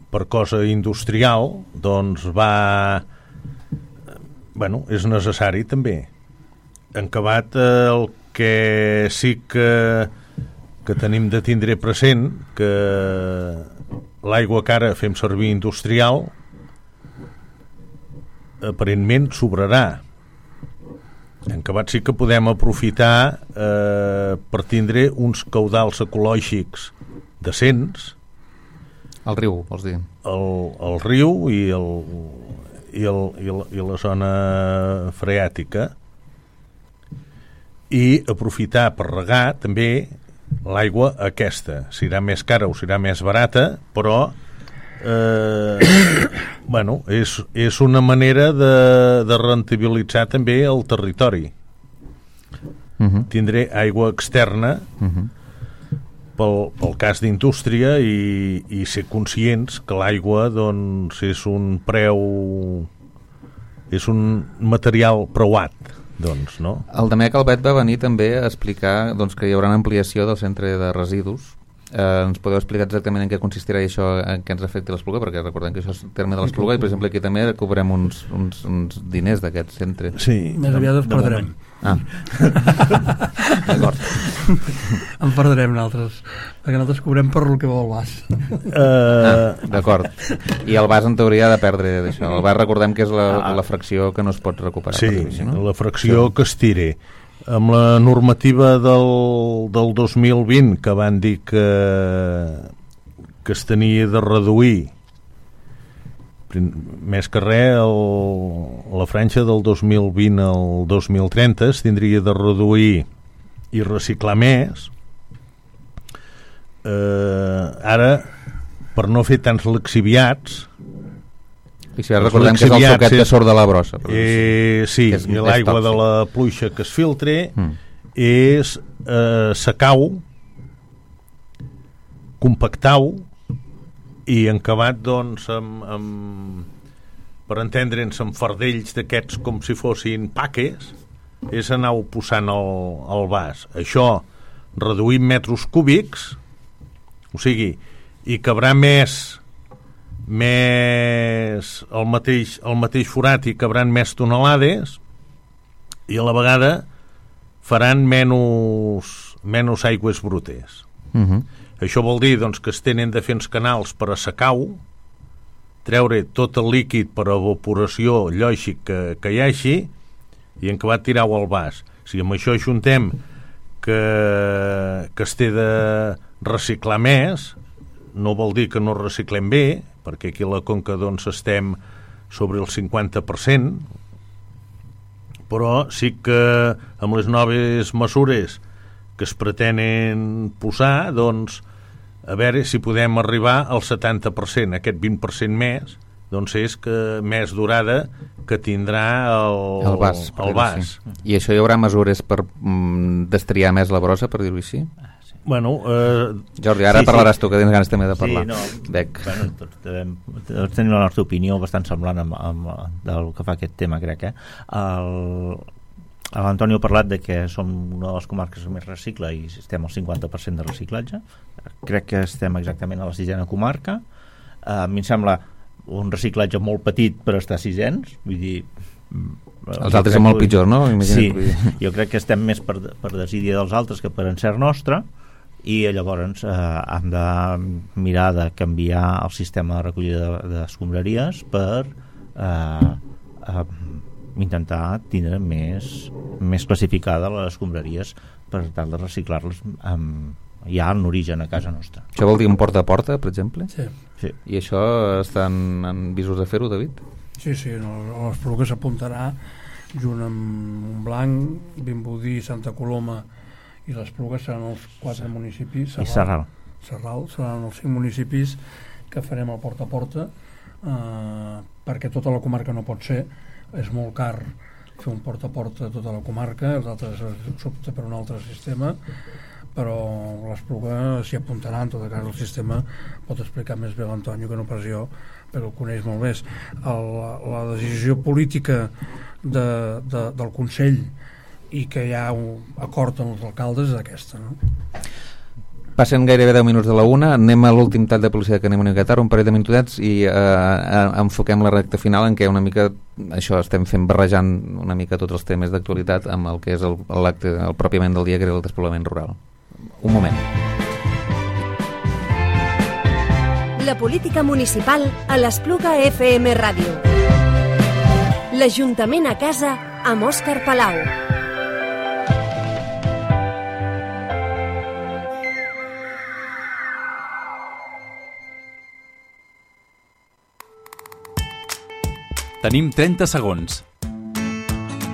Speaker 5: per cosa industrial, doncs va... Bueno, és necessari també. En acabat, eh, el que sí que que tenim de tindre present que l'aigua que ara fem servir industrial aparentment sobrarà. En acabat sí que podem aprofitar eh, per tindre uns caudals ecològics decents.
Speaker 2: El riu, vols dir?
Speaker 5: El, el riu i, el, i, el, i, la, i la zona freàtica, i aprofitar per regar també l'aigua aquesta. Serà més cara o serà més barata, però eh, bueno, és, és una manera de, de rentabilitzar també el territori. Uh-huh. Tindré aigua externa uh-huh. pel, pel cas d'indústria, i, i ser conscients que l'aigua, doncs, és un preu, és un material preuat. Doncs, no?
Speaker 2: El Damià Calvet va venir també a explicar, doncs, que hi haurà una ampliació del centre de residus. Eh, ens podeu explicar exactament en què consistirà això, en què ens afecta l'Espluga, perquè recordem que això és el terme de l'Espluga, i per exemple aquí també cobrem uns, uns, uns diners d'aquest centre.
Speaker 5: Sí.
Speaker 4: Més aviat els perdrem.
Speaker 2: Ah. D'acord.
Speaker 4: En perdrem nosaltres, perquè nosaltres cobrem per el que vol el Bas.
Speaker 2: Uh... Ah, d'acord. I el Bas en teoria ha de perdre d'això. El Bas recordem que és la, ah. la fracció que no es pot recuperar.
Speaker 5: Sí,
Speaker 2: per dir, no?
Speaker 5: La fracció sí. que es tiri. Amb la normativa del, del dos mil vint, que van dir que, que es tenia de reduir més que res el, la franja del dos mil vint al dos mil trenta es tindria de reduir i reciclar més. Eh, ara, per no fer tants lixiviats,
Speaker 2: I si ara recordem que és el suquet que surt de la brossa.
Speaker 5: Eh, sí, és, i l'aigua de la pluja que es filtre mm. és eh, secau, compactau i encabat, doncs, amb, amb per entendre'ns, amb fardells d'aquests com si fossin paques, és anar-ho posant al, al vas. Això reduïm metres cúbics, o sigui, i cabrà més més el mateix, el mateix forat i cabran més tonelades i a la vegada faran menys, menys aigües brutes.
Speaker 2: Uh-huh.
Speaker 5: Això vol dir, doncs, que es tenen de fer uns canals per assecar-ho, treure tot el líquid per evaporació lògic que, que hi hagi i en acabat tirar-ho al vas. Si amb això ajuntem que, que es té de reciclar més, no vol dir que no reciclem bé, perquè aquí a la Conca doncs estem sobre el cinquanta per cent, però sí que amb les noves mesures que es pretenen posar, doncs a veure si podem arribar al setanta per cent, aquest vint per cent més, doncs és que més durada que tindrà el,
Speaker 2: el vas.
Speaker 5: El vas.
Speaker 2: Sí. I això hi haurà mesures per mm, destriar més la brossa, per dir-ho així?
Speaker 5: Bueno, eh,
Speaker 2: Jordi, ara
Speaker 3: sí,
Speaker 2: parlaràs
Speaker 3: sí.
Speaker 2: tu, que tens ganes també de parlar.
Speaker 3: Sí, no,
Speaker 2: Bec.
Speaker 3: Bueno, tots, devem, tots tenim la nostra opinió bastant semblant amb, amb, del que fa aquest tema, crec. Eh? L'Antonio ha parlat de que som una de les comarques que més recicla i estem al cinquanta per cent de reciclatge. Crec que estem exactament a la sisena comarca. A mi em sembla un reciclatge molt petit per estar sisens, vull dir...
Speaker 2: Els altres són molt pitjors, no?
Speaker 3: Imagina't, sí, jo crec que estem més per, per desídia dels altres que per encert nostre, i llavors eh, hem de mirar de canviar el sistema de recollida d'escombraries per eh, eh, intentar tindre més, més classificada les escombraries per tal de reciclar-les amb, ja en origen a casa nostra.
Speaker 2: Això vol dir un porta a porta, per exemple?
Speaker 4: Sí.
Speaker 3: Sí.
Speaker 2: I això estan en visos de fer-ho, David?
Speaker 4: Sí, sí, no, l'Espluga s'apuntarà junt amb Blanc, Vimbodí, Santa Coloma i l'Espluga seran els quatre municipis.
Speaker 3: I Sarral.
Speaker 4: Sarral seran els cinc municipis que farem el porta a porta, eh, perquè tota la comarca no pot ser, és molt car fer un porta a porta a tota la comarca, els altres s'opta per un altre sistema, però l'Espluga s'hi apuntarà. En tot cas el sistema pot explicar més bé l'Antonio que no pas jo, però el coneix molt més. El, la decisió política de, de, del Consell i que hi ha un acord amb els alcaldes és aquesta, no?
Speaker 2: Passen gairebé deu minuts de la una, anem a l'últim tall de publicitat que anem a encatar, un parell de minutets i eh, enfoquem la recta final en què una mica això estem fent barrejant una mica tots els temes d'actualitat amb el que és el, l'acte, el pròpiament del dia, que era el despoblament rural. Un moment.
Speaker 1: La política municipal a l'Espluga F M Ràdio. L'Ajuntament a casa amb Òscar Palau.
Speaker 10: Tenim trenta segons.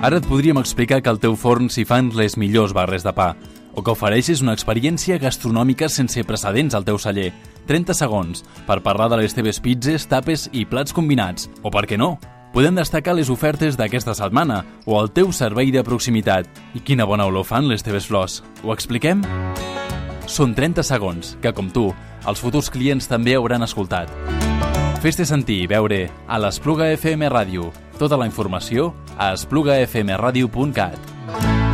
Speaker 10: Ara et podríem explicar que al teu forn s'hi fan les millors barres de pa, o que ofereixes una experiència gastronòmica sense precedents al teu celler. trenta segons per parlar de les teves pizzas, tapes i plats combinats. O per què no? Podem destacar les ofertes d'aquesta setmana o el teu servei de proximitat. I quina bona olor fan les teves flors. Ho expliquem? Són trenta segons que, com tu, els futurs clients també hauran escoltat. Fes-te sentir i veure a l'Espluga F M Ràdio. Tota la informació a espluga f m radio punt cat.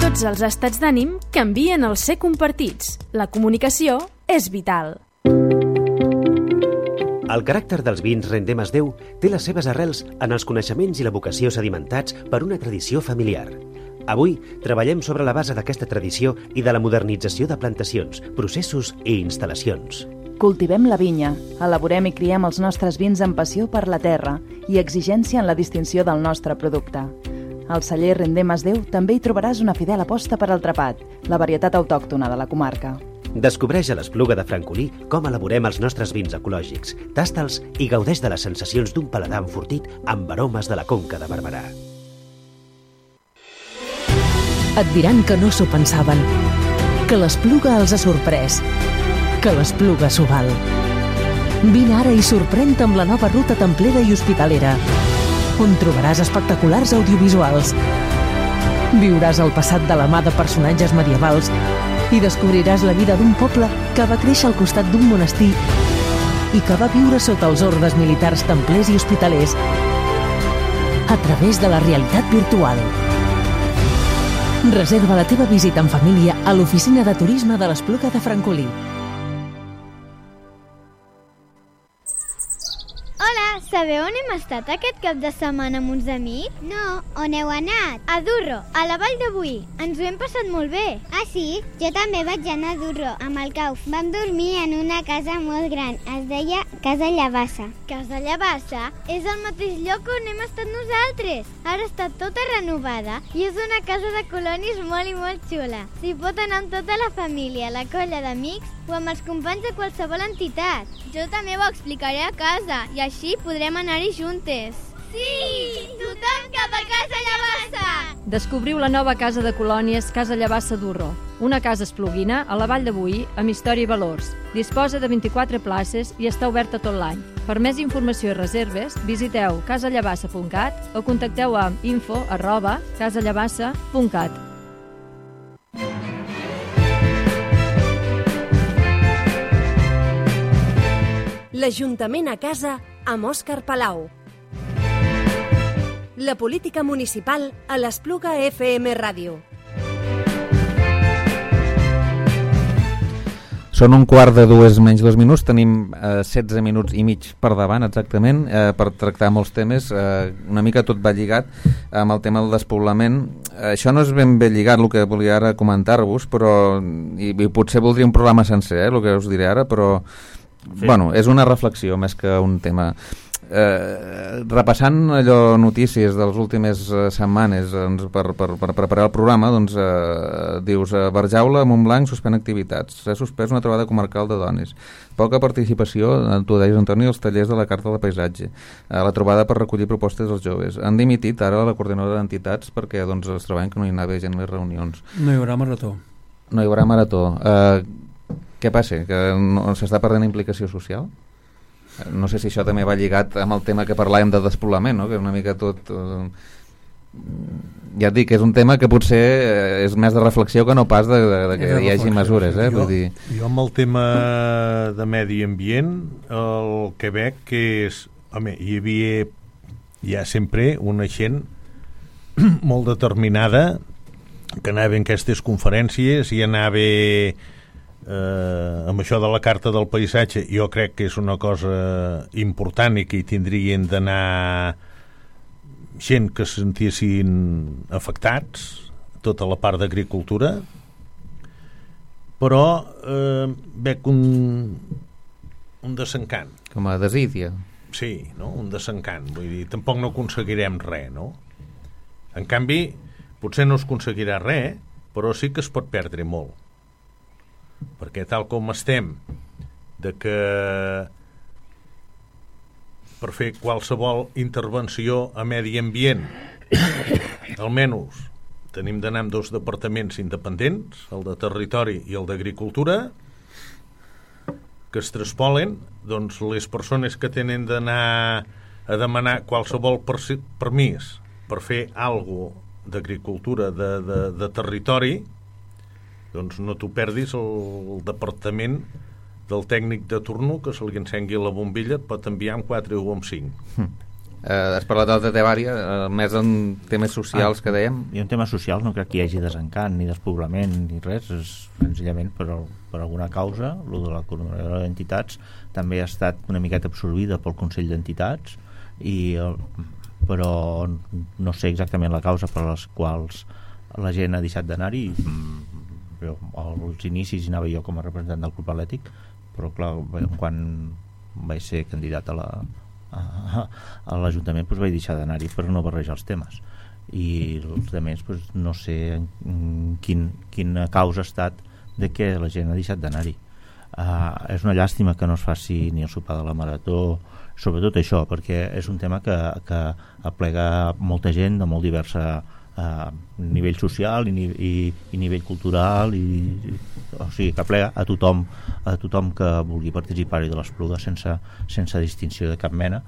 Speaker 11: Tots els estats d'ànim canvien al ser compartits. La comunicació és vital.
Speaker 8: El caràcter dels vins Rendemas Déu té les seves arrels en els coneixements i la vocació sedimentats per una tradició familiar. Avui treballem sobre la base d'aquesta tradició i de la modernització de plantacions, processos i instal·lacions.
Speaker 9: Cultivem la vinya, elaborem i criem els nostres vins amb passió per la terra i exigència en la distinció del nostre producte. Al celler Rendemas Déu també hi trobaràs una fidel aposta per al trapat, la varietat autòctona de la comarca.
Speaker 8: Descobreix a l'Espluga de Francolí com elaborem els nostres vins ecològics, tasta'ls i gaudeix de les sensacions d'un paladar enfortit amb aromes de la Conca de Barberà.
Speaker 12: Et diran que no s'ho pensaven, que l'Espluga els ha sorprès, que l'Espluga s'ho val. Vine ara i sorprèn-te amb la nova ruta templera i hospitalera. on trobaràs espectaculars audiovisuals. Viuràs el passat de la mà de personatges medievals i descobriràs la vida d'un poble que va créixer al costat d'un monestir i que va viure sota els ordes militars templers i hospitalers a través de la realitat virtual. Reserva la teva visita en família a l'oficina de turisme de l'Espluga de Francolí.
Speaker 14: Hola, sabeu on hem estat aquest cap de setmana amb uns amics? No, on heu anat? A Durro, a la Vall de Boí. Ens ho hem passat molt bé.
Speaker 15: Ah, sí? Jo també vaig anar a Durro, amb el Cauf. Vam dormir en una casa molt gran. Es deia Casa Llavassa.
Speaker 14: Casa Llavassa és el mateix lloc on hem estat nosaltres. Ara està tota renovada i és una casa de colonis molt i molt xula. S'hi pot anar amb tota la família, la colla d'amics o amb els companys de qualsevol entitat.
Speaker 16: Jo també ho explicaré a casa i així podrem anar-hi juntes.
Speaker 14: Sí! Tothom cap a Casa Llavassa!
Speaker 17: Descobriu la nova casa de colònies Casa Llavassa Durro, una casa espluguina a la Vall de Boí amb història i valors. Disposa de vint-i-quatre places i està oberta tot l'any. Per més informació i reserves, visiteu casallavassa punt cat o contacteu amb info arroba casallavassa punt cat.
Speaker 1: L'Ajuntament a casa amb Òscar Palau. La política municipal a l'Espluga F M Ràdio.
Speaker 2: Són un quart de dues menys dos minuts, tenim eh, setze minuts i mig per davant exactament eh, per tractar molts temes, eh, una mica tot va lligat amb el tema del despoblament. Eh, això no és ben bé lligat el que volia ara comentar-vos, però i, i potser voldria un programa sencer, eh, el que us diré ara, però sí. Bueno, és una reflexió més que un tema. Eh, repassant allò notícies de les últimes eh, setmanes doncs, per, per, per preparar el programa, doncs eh, dius eh, Barjaula, Montblanc suspèn activitats, s'ha suspès una trobada comarcal de dones, poca participació, tu deies Antoni, als tallers de la Carta de Paisatge, eh, la trobada per recollir propostes dels joves, han dimitit ara la coordinadora d'entitats perquè doncs, es troben que no hi anava gent a les reunions.
Speaker 4: No hi haurà marató.
Speaker 2: No hi haurà marató. Eh, què passa? Que no, s'està perdent implicació social? No sé si això també va lligat amb el tema que parlàvem de despoblament, no? Que una mica tot... Eh, ja et dic, és un tema que potser és més de reflexió que no pas de, de, de que hi hagi mesures. Eh?
Speaker 5: Jo,
Speaker 2: Vull dir...
Speaker 5: jo amb el tema de medi ambient el que veig que és... Home, hi havia ja sempre una gent molt determinada que anava en aquestes conferències i anava... Eh, amb això de la Carta del Paisatge jo crec que és una cosa important i que hi tindrien d'anar gent que se sentissin afectats, tota la part d'agricultura, però eh, veig un un desencant.
Speaker 2: Com a desídia.
Speaker 5: Sí, no? Un desencant, vull dir, tampoc no aconseguirem res, no? En canvi, potser no es aconseguirà res, però sí que es pot perdre molt. Perquè tal com estem de que per fer qualsevol intervenció a medi ambient almenys tenim d'anar amb dos departaments independents, el de territori i el d'agricultura, que es traspolen, doncs les persones que tenen d'anar a demanar qualsevol permís per fer alguna cosa d'agricultura de, de, de territori, doncs no t'ho perdis el, el departament del tècnic de turno que se li encengui la bombilla et pot enviar amb quatre o amb cinc.
Speaker 2: Hm. Eh, has parlat de Tevària, eh, més en temes socials ah, que dèiem.
Speaker 3: I en temes socials no crec que hi hagi desencant ni despoblament ni res, és senzillament per, per alguna causa. Lo de la coordinadora d'entitats també ha estat una miqueta absorbida pel Consell d'Entitats i, però no sé exactament la causa per les quals la gent ha deixat d'anar-hi. Jo, als inicis hi anava jo com a representant del club atlètic, però clar, quan vaig ser candidat a la a, a l'Ajuntament doncs vaig deixar d'anar-hi per no barrejar els temes i els altres doncs, no sé quin, quina causa ha estat de que la gent ha deixat d'anar-hi. Uh, és una llàstima que no es faci ni el sopar de la marató, sobretot això, perquè és un tema que, que aplega molta gent de molt diversa a nivell social i, i, i nivell cultural i, o sigui que aplega a tothom a tothom que vulgui participar-hi de l'Espluga sense, sense distinció de cap mena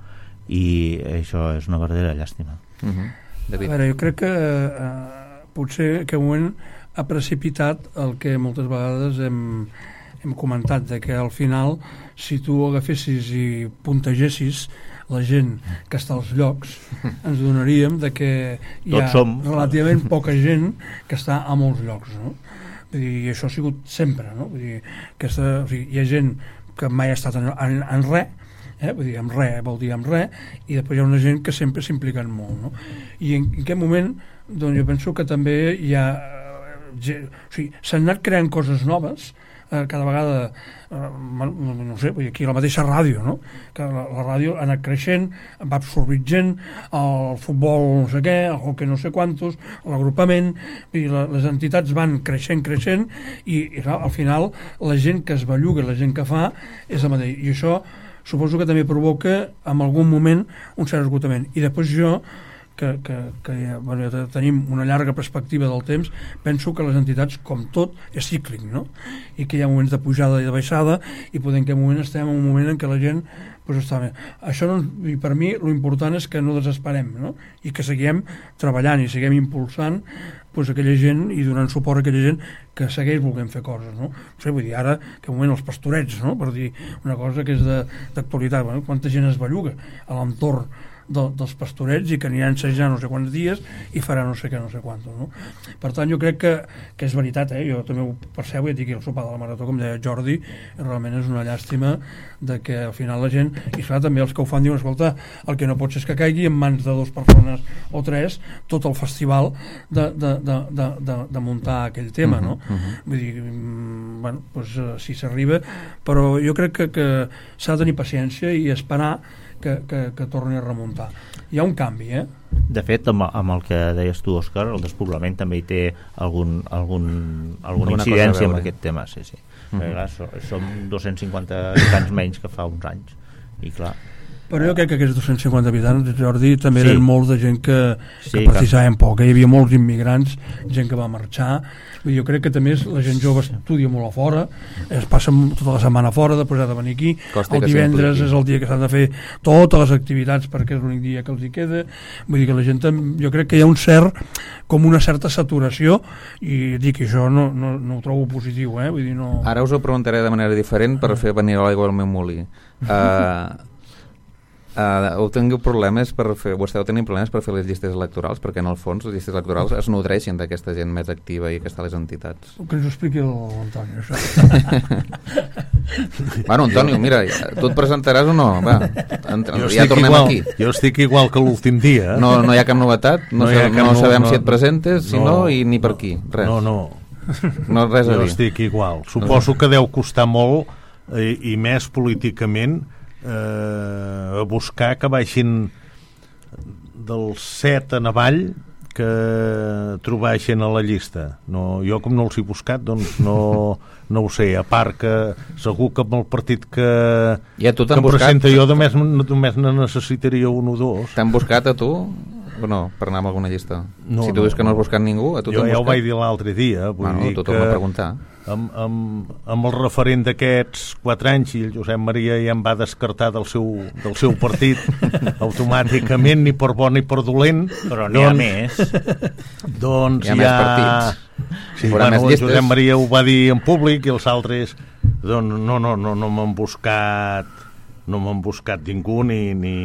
Speaker 3: i això és una verdadera llàstima.
Speaker 2: Uh-huh.
Speaker 4: A veure, jo crec que eh, potser que un moment ha precipitat el que moltes vegades hem, hem comentat, de que al final, si tu agafessis i puntegessis la gent que està als llocs, ens donaríem de que hi ha relativament poca gent que està a molts llocs, no? Vull dir, i això ha sigut sempre, no? Vull dir, aquesta, o sigui, hi ha gent que mai ha estat en, en, en res, eh? Vull dir, amb res vol dir amb res, i després hi ha una gent que sempre s'impliquen molt, no? I en, en aquest moment, doncs jo penso que també hi ha, eh, o sigui, s'han anat creant coses noves, eh, cada vegada, eh, no sé, vull dir, aquí la mateixa ràdio, no? Que la, la ràdio ha anat creixent, va absorbint gent, el futbol no sé què, el hockey no sé quantos, l'agrupament, i la, les entitats van creixent, creixent, i, i clar, al final la gent que es belluga, la gent que fa, és la mateixa. I això suposo que també provoca en algun moment un cert esgotament. I després jo, que, que, que ja, bueno, ja tenim una llarga perspectiva del temps, penso que les entitats, com tot, és cíclic, no? I que hi ha moments de pujada i de baixada, i podem que en un moment estem en un moment en què la gent pues, està bé. Això, no, i per mi, l'important és que no desesperem, no? I que seguim treballant i seguim impulsant pues, aquella gent i donant suport a aquella gent que segueix volent fer coses, no? No sé, vull dir, ara, que un moment els pastorets, no? Per dir una cosa que és d'actualitat, bueno, quanta gent es belluga a l'entorn de, dels pastorets i que aniran assajar no sé quants dies i farà no sé què, no sé quants, no? Per tant, jo crec que, que és veritat, eh? Jo també ho percebo, ja dic, el sopar de la marató, com deia Jordi, realment és una llàstima de que al final la gent, i clar, també els que ho fan diuen, escolta, el que no pot ser és que caigui en mans de dues persones o tres tot el festival de, de, de, de, de, de muntar aquell tema, no? Uh-huh, uh-huh. Vull dir, bueno, doncs si s'arriba, però jo crec que, que s'ha de tenir paciència i esperar que, que, que torni a remuntar. Hi ha un canvi, eh?
Speaker 3: De fet, amb, amb el que deies tu, Òscar, el despoblament també hi té algun, algun, alguna incidència amb aquest tema, sí, sí. Uh-huh. Perquè, clar, so, som dos-cents cinquanta habitants menys que fa uns anys, i clar...
Speaker 4: Però jo crec que aquests dos-cents cinquanta habitants, Jordi, també sí. Eren molts de gent que,
Speaker 3: sí,
Speaker 4: que participaven poc. Hi havia molts immigrants, gent que va marxar. Jo crec que també la gent jove estudia molt a fora, es passa tota la setmana a fora, després ha de venir aquí. Costa el divendres és el dia que s'han de fer totes les activitats perquè és l'únic dia que els hi queda. Vull dir que la gent, jo crec que hi ha un cert, com una certa saturació, i dic que això no, no, no ho trobo positiu, eh? Vull dir, no...
Speaker 2: Ara us ho preguntaré de manera diferent per fer venir a l'aigua al meu molí. Uh, Uh, heu tingut problemes per fer, o esteu tenint problemes per fer les llistes electorals, perquè en el fons les llistes electorals es nodreixen d'aquesta gent més activa i que està a les entitats.
Speaker 4: Que ens ho expliqui l'Antonio, això.
Speaker 2: Bueno, Antonio, mira, tu et presentaràs o no? Va, ja tornem
Speaker 5: igual,
Speaker 2: aquí.
Speaker 5: Jo estic igual que l'últim dia.
Speaker 2: No, no hi ha cap novetat? No, no, cap no sabem no, si et presentes, si no, no, i ni per aquí, res.
Speaker 5: No, no.
Speaker 2: No res a dir.
Speaker 5: Jo estic igual. Suposo que deu costar molt, i, i més políticament, Eh, a buscar que baixin del set en avall que trobar gent a la llista. No, jo com no els he buscat, doncs no, no ho sé, a part que segur que amb el partit que,
Speaker 2: ja, que em
Speaker 5: presenta jo només, només ne necessitaria un o dos.
Speaker 2: T'han buscat a tu? O no, per anar a alguna llista?
Speaker 5: No,
Speaker 2: si tu dius que no has buscat ningú, a tu
Speaker 5: jo
Speaker 2: t'han
Speaker 5: ja
Speaker 2: buscat?
Speaker 5: Ho vaig dir l'altre dia, vull
Speaker 2: bueno,
Speaker 5: dir
Speaker 2: tu torna a preguntar.
Speaker 5: Amb, amb, amb el referent d'aquests quatre anys, i el Josep Maria ja em va descartar del seu, del seu partit automàticament, ni per bo ni per dolent,
Speaker 3: però n'hi ha més,
Speaker 5: doncs
Speaker 2: hi ha,
Speaker 5: ha
Speaker 2: més partits,
Speaker 5: sí, bueno, el Josep Maria ho va dir en públic i els altres doncs no, no, no, no m'han buscat no m'han buscat ningú ni, ni...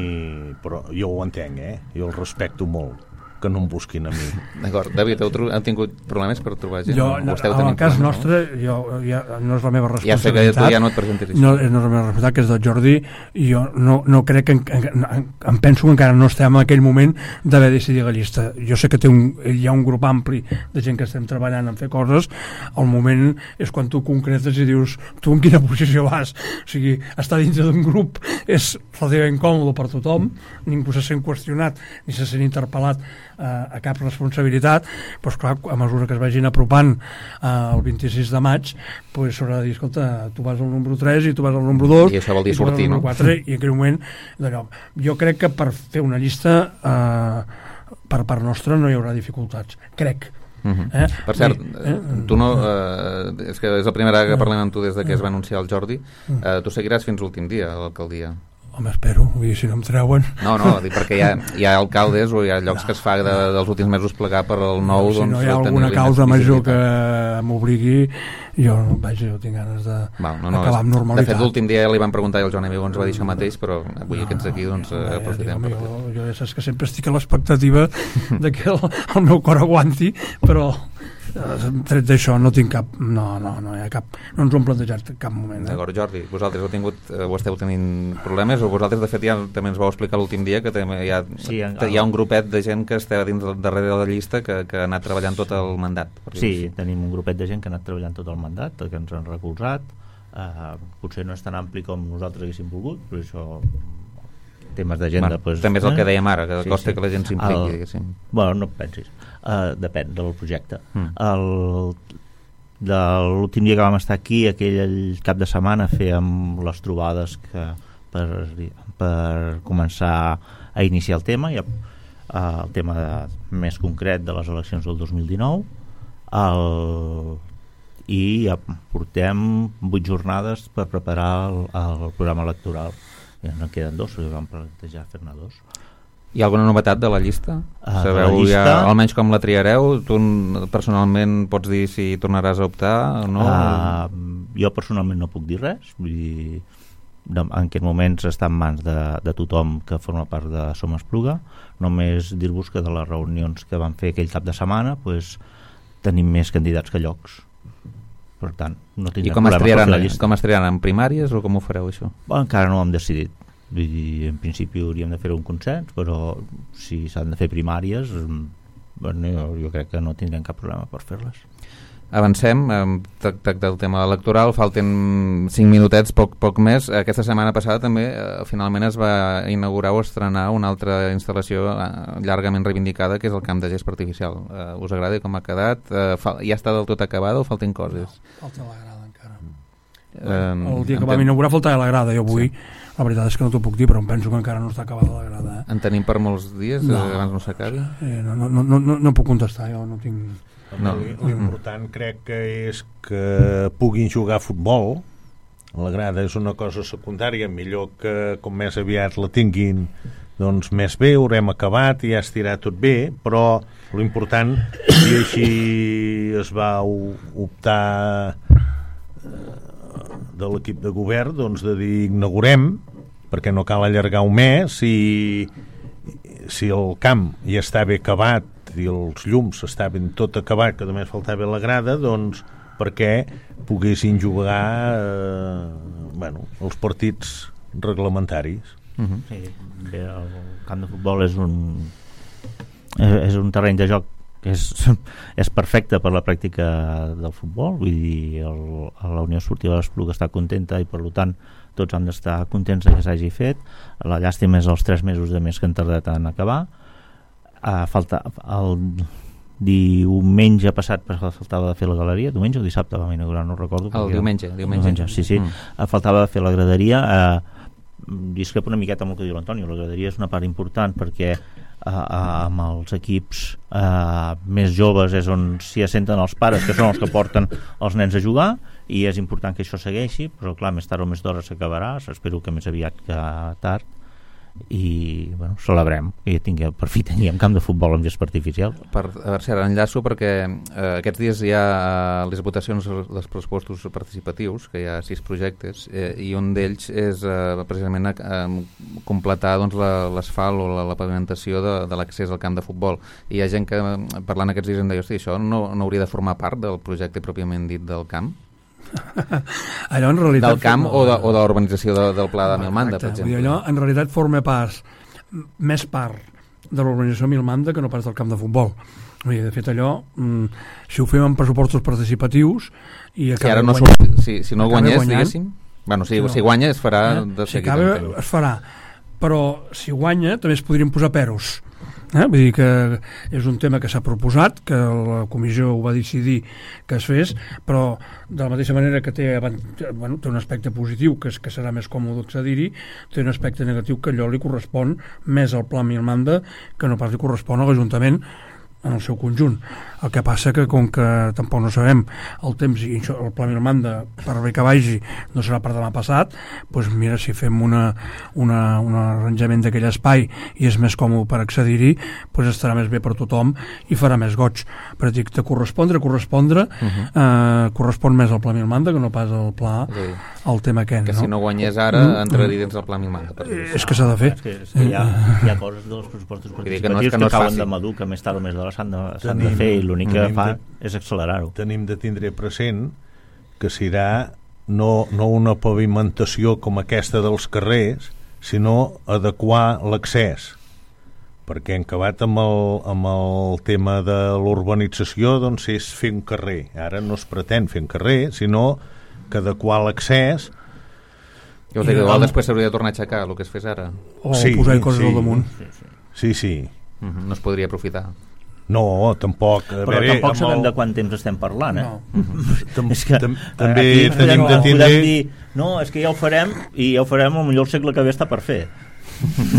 Speaker 5: però jo ho entenc, eh? Jo el respecto molt que no em busquin a mi.
Speaker 2: D'acord, David, heu, heu tingut problemes per trobar gent?
Speaker 4: Jo, no, en el cas nostre, no? Jo, ja, no és la meva responsabilitat.
Speaker 2: Ja sé que tu ja no et presentaries.
Speaker 4: No, no és la meva responsabilitat, que és del Jordi, i jo no, no crec que... En, en, em penso que encara no estem en aquell moment d'haver decidit la llista. Jo sé que té un, hi ha un grup ampli de gent que estem treballant en fer coses. El moment és quan tu concretes i dius tu en quina posició vas. O sigui, estar dintre d'un grup és relativament còmode per tothom, ningú se sent qüestionat ni se sent interpel·lat a, a cap responsabilitat, doncs clar, a mesura que es vagin apropant eh, el vint-i-sis de maig, doncs s'haurà de dir, escolta, tu vas al número tres i tu vas al número dos
Speaker 2: i això vol dir sortir, no?
Speaker 4: quatre, i en aquell moment d'allò. Jo crec que per fer una llista eh, per part nostra no hi haurà dificultats, crec.
Speaker 2: Uh-huh. Eh? Per cert, eh? tu no eh, és que és la primera vegada que parlem amb tu des de que es va anunciar el Jordi, eh, tu seguiràs fins l'últim dia a l'alcaldia?
Speaker 4: Home, espero, vull dir, si no em treuen...
Speaker 2: No, no, perquè hi ha, hi ha alcaldes o hi ha llocs no. que es fa de, dels últims mesos plegar per al nou...
Speaker 4: Si
Speaker 2: doncs,
Speaker 4: no hi ha alguna causa major que m'obligui, jo, vaja, jo tinc ganes d'acabar
Speaker 2: no, no,
Speaker 4: amb normalitat.
Speaker 2: De fet, l'últim dia li van preguntar i el Joan Amigo ens va dir això mateix, però avui no, aquests aquí doncs, no, aprofitem.
Speaker 4: Ja, jo, jo ja saps que sempre estic a l'expectativa de que el, el meu cor aguanti, però... tret d'això no tinc cap no, no, no hi ha cap, no ens ho hem plantejat en cap moment. Eh?
Speaker 2: D'acord, Jordi, vosaltres heu tingut ho esteu tenint problemes o vosaltres de fet ja també ens vau explicar l'últim dia que hi ha, sí, en, hi ha un grupet de gent que està dins darrere de la llista que, que ha anat treballant tot el mandat.
Speaker 3: Sí, tenim un grupet de gent que ha anat treballant tot el mandat, que ens han recolzat, uh, potser no és tan ampli com nosaltres haguéssim volgut, però això temes d'agenda...
Speaker 2: Bueno,
Speaker 3: pues,
Speaker 2: també és el
Speaker 3: eh?
Speaker 2: que dèiem ara, que sí, costa sí. que la gent s'impliqui.
Speaker 3: El... Bueno, no pensis. Uh, depèn del projecte. Mm. El... De l'últim dia que vam estar aquí, aquell cap de setmana, fèiem les trobades que per, per començar a iniciar el tema, i, uh, el tema de, més concret de les eleccions del dos mil dinou, el... i ja portem vuit jornades per preparar el, el programa electoral. Ja no queden dos, perquè vam plantejar fer-ne dos.
Speaker 2: Hi ha alguna novetat de la llista?
Speaker 3: Uh,
Speaker 2: Sabeu
Speaker 3: la llista...
Speaker 2: ja, almenys com la triareu? Tu personalment pots dir si tornaràs a optar o no?
Speaker 3: Uh, jo personalment no puc dir res. Vull dir, en aquests moments està en mans de, de tothom que forma part de Som Espluga. Només dir-vos que de les reunions que vam fer aquell cap de setmana pues, tenim més candidats que llocs. Per tant, no tindrem
Speaker 2: I com es, triaran, com es triaran? En primàries o com ho fareu això?
Speaker 3: Bueno, encara no ho hem decidit. Vull dir, en principi hauríem de fer un consens, però si s'han de fer primàries, bueno, jo, jo crec que no tindrem cap problema per fer-les.
Speaker 2: Avancem, hem tractat el tema electoral, falten cinc minutets, poc, poc més. Aquesta setmana passada també eh, finalment es va inaugurar o estrenar una altra instal·lació eh, llargament reivindicada, que és el camp de gespa artificial. Eh, us agrada com ha quedat? Eh, fa, ja està del tot acabada o falten coses?
Speaker 4: No, falta la grada encara.
Speaker 2: Eh,
Speaker 4: el dia que vam inaugurar faltava la grada, jo avui sí. La veritat és que no t'ho puc dir, però em penso que encara no està acabada la grada. Eh?
Speaker 2: En tenim per molts dies,
Speaker 4: no.
Speaker 2: eh, abans no s'acabi?
Speaker 4: Eh, no, no, no, no, no puc contestar, jo no tinc...
Speaker 5: No. L'important crec que és que puguin jugar a futbol. La grada és una cosa secundària, millor que com més aviat la tinguin doncs més bé, haurem acabat i ja estirà tot bé, però l'important, i així es va optar de l'equip de govern, doncs de dir inaugurem, perquè no cal allargar un mes, i si el camp ja està bé acabat i els llums estaven tot acabat, que només faltava la grada, doncs perquè poguessin jugar eh, bueno, els partits reglamentaris.
Speaker 3: Uh-huh. Sí, bé, el camp de futbol és un és, és un terreny de joc que és, és perfecte per la pràctica del futbol, vull dir, el, la Unió Esportiva de l'Espluga està contenta i per tant tots han d'estar contents que s'hagi fet. La llàstima és els tres mesos de més que han tardat en acabar. Uh, falta el diumenge passat faltava de fer la galeria, diumenge o dissabte vam inaugurar, no recordo.
Speaker 2: El diumenge, diumenge.
Speaker 3: diumenge sí, sí. Mm. Uh, faltava de fer la graderia. Uh, discrepo una miqueta amb el que diu l'Antonio, la graderia és una part important perquè uh, uh, amb els equips uh, més joves és on s'hi assenten els pares, que són els que porten els nens a jugar, i és important que això segueixi, però clar, més tard o més d'hora s'acabarà, espero que més aviat que tard, i bueno, celebrem que tinguem, per fi tinguem camp de futbol amb gespa artificial.
Speaker 2: Per, a veure si ara enllaço, perquè eh, aquests dies hi ha eh, les votacions dels pressupostos participatius, que hi ha sis projectes, eh, i un d'ells és eh, precisament eh, completar doncs, l'asfalt o la, la pavimentació de, de l'accés al camp de futbol. I hi ha gent que parlant aquests dies em deia, hosti, això no, no hauria de formar part del projecte pròpiament dit del camp?
Speaker 4: Allò en realitat
Speaker 2: del camp o de, o de l'urbanització de, del Pla de Milmanda, per exemple.
Speaker 4: Allò en realitat forma part més part de l'urbanització Milmanda que no pas del camp de futbol. Dir, de fet allò mm, si ho fem amb pressupostos participatius i
Speaker 2: si, ara no guanyant, si, si no guanyés guanyant, diguéssim bueno, si, no. si guanya es farà eh? de
Speaker 4: si acaba es farà, però si guanya també es podrien posar peros. Eh? Vull dir que és un tema que s'ha proposat, que la comissió ho va decidir que es fes, però de la mateixa manera que té, bueno, té un aspecte positiu, que, és, que serà més còmode accedir-hi, té un aspecte negatiu que allò li correspon més al Pla Milmanda que no pas li correspon a l'Ajuntament en el seu conjunt. El que passa que com que tampoc no sabem el temps i això, el pla Milmanda per bé que vagi no serà per demà passat, doncs mira, si fem una, una, un arranjament d'aquell espai i és més còmode per accedir-hi, doncs estarà més bé per tothom i farà més goig. Però dic, de correspondre, correspondre uh -huh. eh, correspon més al pla Milmanda que no pas al pla, sí. al tema aquest.
Speaker 2: Que
Speaker 4: no?
Speaker 2: si no guanyés ara mm. entraria dins del pla Milmanda.
Speaker 4: És que s'ha de fer.
Speaker 3: És que, és que hi, ha, hi ha coses dels pressupostos participatius que, no és que, no que cauen de madur, que més tard o més d'hora s'han de, s'han de fer, i l'únic que fa de, és accelerar-ho.
Speaker 5: Tenim de tindre present que serà no, no una pavimentació com aquesta dels carrers, sinó adequar l'accés, perquè en acabat amb el, amb el tema de l'urbanització doncs és fer un carrer. Ara no es pretén fer un carrer, sinó que adequar l'accés.
Speaker 2: Jo us dic, igual després s'hauria de tornar a aixecar el que es fes ara.
Speaker 4: O sí, posar coses
Speaker 5: sí,
Speaker 4: al damunt.
Speaker 5: Sí, sí.
Speaker 2: Uh -huh. No es podria aprofitar.
Speaker 5: No, tampoc. A
Speaker 3: Però
Speaker 5: veure,
Speaker 3: tampoc sabem
Speaker 5: el...
Speaker 3: de quant temps estem parlant, eh?
Speaker 4: No.
Speaker 3: Uh-huh. És que
Speaker 5: també tenim
Speaker 3: podem,
Speaker 5: de tindre...
Speaker 3: dir, no, és que ja ho farem, i ja ho farem, potser el segle que ve està per fer.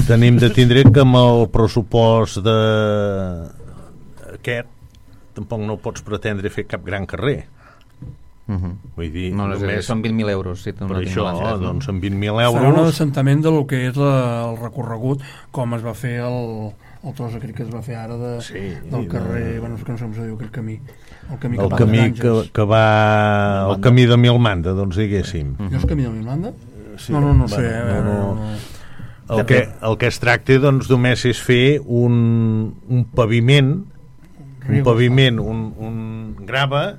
Speaker 5: Tenim de tindre que amb el pressupost de... aquest tampoc no pots pretendre fer cap gran carrer.
Speaker 2: Uh -huh.
Speaker 5: Vull dir,
Speaker 2: no, no,
Speaker 5: només...
Speaker 2: són vint mil euros. Si
Speaker 5: per això, doncs amb vint mil euros...
Speaker 4: Serà un assentament del que és la, el recorregut, com es va fer el... el tros aquell que es va fer ara de,
Speaker 5: sí,
Speaker 4: del carrer,
Speaker 5: de...
Speaker 4: bueno, és que no sé com se diu aquell camí, el camí,
Speaker 5: el
Speaker 4: que,
Speaker 5: camí que, que va el camí de Milmanda, doncs diguéssim.
Speaker 4: Uh -huh. No és camí de Milmanda?
Speaker 5: Sí,
Speaker 4: no, no, no
Speaker 5: bueno,
Speaker 4: sé eh,
Speaker 5: no, no.
Speaker 4: no.
Speaker 5: El, que, el que es tracta doncs només és fer un, un paviment un paviment un, un grava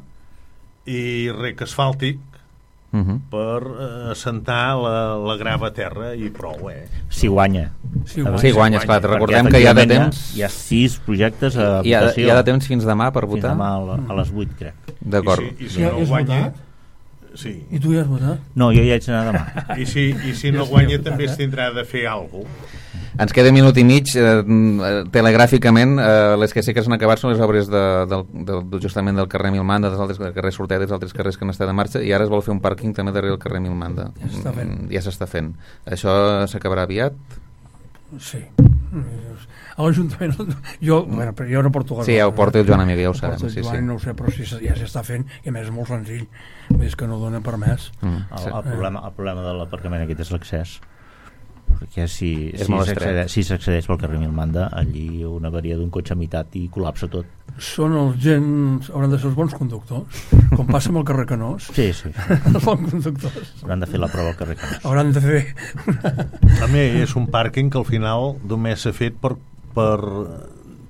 Speaker 5: i rec asfàltic Uh -huh. per uh, assentar la, la grava a terra i prou, eh?
Speaker 3: Si guanya.
Speaker 2: Si guanya, sí, guanya, esclar. Recordem que hi ha de temps...
Speaker 3: Hi ha sis projectes a
Speaker 2: hi ha,
Speaker 3: votació.
Speaker 2: Hi ha de temps fins demà per votar?
Speaker 3: Fins demà a, la, a les vuit, crec.
Speaker 2: D'acord.
Speaker 5: I si, i si no guanya... Sí.
Speaker 4: I tu ja has votat?
Speaker 3: No, jo ja haig d'anar demà.
Speaker 5: I si, i si no guanya també es tindrà de fer alguna cosa.
Speaker 2: Ens queda un minut i mig. Eh, telegràficament, eh, les que sí que s'han acabat són les obres de, de, de, justament del carrer Milmanda, dels altres carrers Sortet, dels altres carrers que han estat en marxa, i ara es vol fer un pàrquing també darrere del carrer Milmanda.
Speaker 4: Ja s'està fent.
Speaker 2: Ja s'està fent. Això s'acabarà aviat?
Speaker 4: Sí. A l'Ajuntament jo, bueno, però jo no porto
Speaker 2: sí, ja ho porta el Joan Amiga, ja ho sabem
Speaker 4: sí,
Speaker 2: sí.
Speaker 4: no ho sé, però sí, ja s'està fent i a més és molt senzill, és que no dona per més.
Speaker 3: mm, el, el, problema, el problema de l'aparcament aquest és l'accés, perquè si, si s'accedeix si s'accedeix pel carrer Milmanda, allí una avaria d'un cotxe a meitat i col·lapsa tot.
Speaker 4: Són els gens, hauran de ser els bons conductors, com passa amb el carrer Canós.
Speaker 3: Sí, sí, sí.
Speaker 4: Els bons conductors
Speaker 3: hauran de fer la prova al carrer Canós.
Speaker 4: Hauran de fer
Speaker 5: a més és un pàrquing que al final només s'ha fet per, per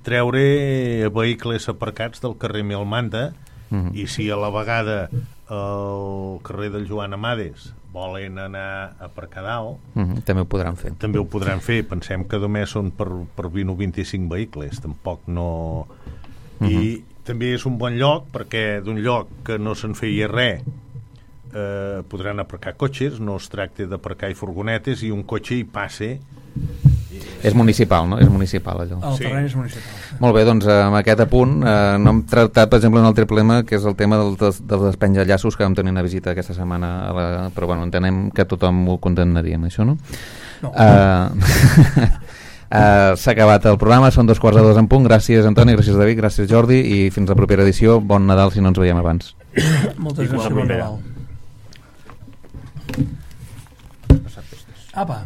Speaker 5: treure vehicles aparcats del carrer Milmanda. Uh-huh. I si a la vegada el carrer del Joan Amades volen anar a aparcar dalt,
Speaker 2: uh-huh. també ho podran fer.
Speaker 5: També ho podran fer. Pensem que només són per, per vint o vint-i-cinc vehicles, tampoc no... Uh-huh. I també és un bon lloc perquè d'un lloc que no se'n feia res eh, podran aparcar cotxes, no es tracta d'aparcar i furgonetes i un cotxe hi passe.
Speaker 2: És municipal, no? És municipal, allò.
Speaker 4: El terreny és municipal. Sí.
Speaker 2: Molt bé, doncs amb aquest apunt eh, no hem tractat, per exemple, un altre problema que és el tema del, dels, dels despenjallaços que vam tenir una visita aquesta setmana a la... però bueno, entenem que tothom ho condemnaríem, això, no?
Speaker 4: No.
Speaker 2: Uh, uh, s'ha acabat el programa, són dos quarts de dos en punt. Gràcies Antoni, gràcies David, gràcies Jordi i fins la propera edició. Bon Nadal si no ens veiem abans.
Speaker 4: Moltes gràcies, bon Nadal. Apa.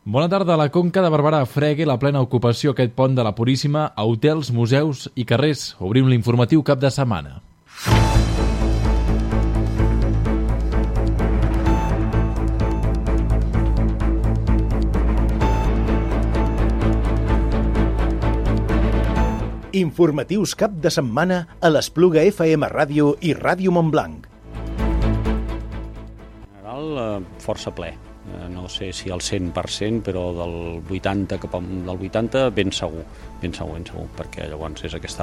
Speaker 10: Bona tarda. La Conca de Barberà fregui la plena ocupació aquest pont de la Puríssima a hotels, museus i carrers. Obrim l'informatiu cap de setmana.
Speaker 18: Informatius cap de setmana a l'Espluga F M Ràdio i Ràdio Montblanc.
Speaker 19: En general, força ple. No sé si al cent per cent, però del vuitanta cap al vuitanta ben segur, ben segur, ben segur, perquè llavors és aquesta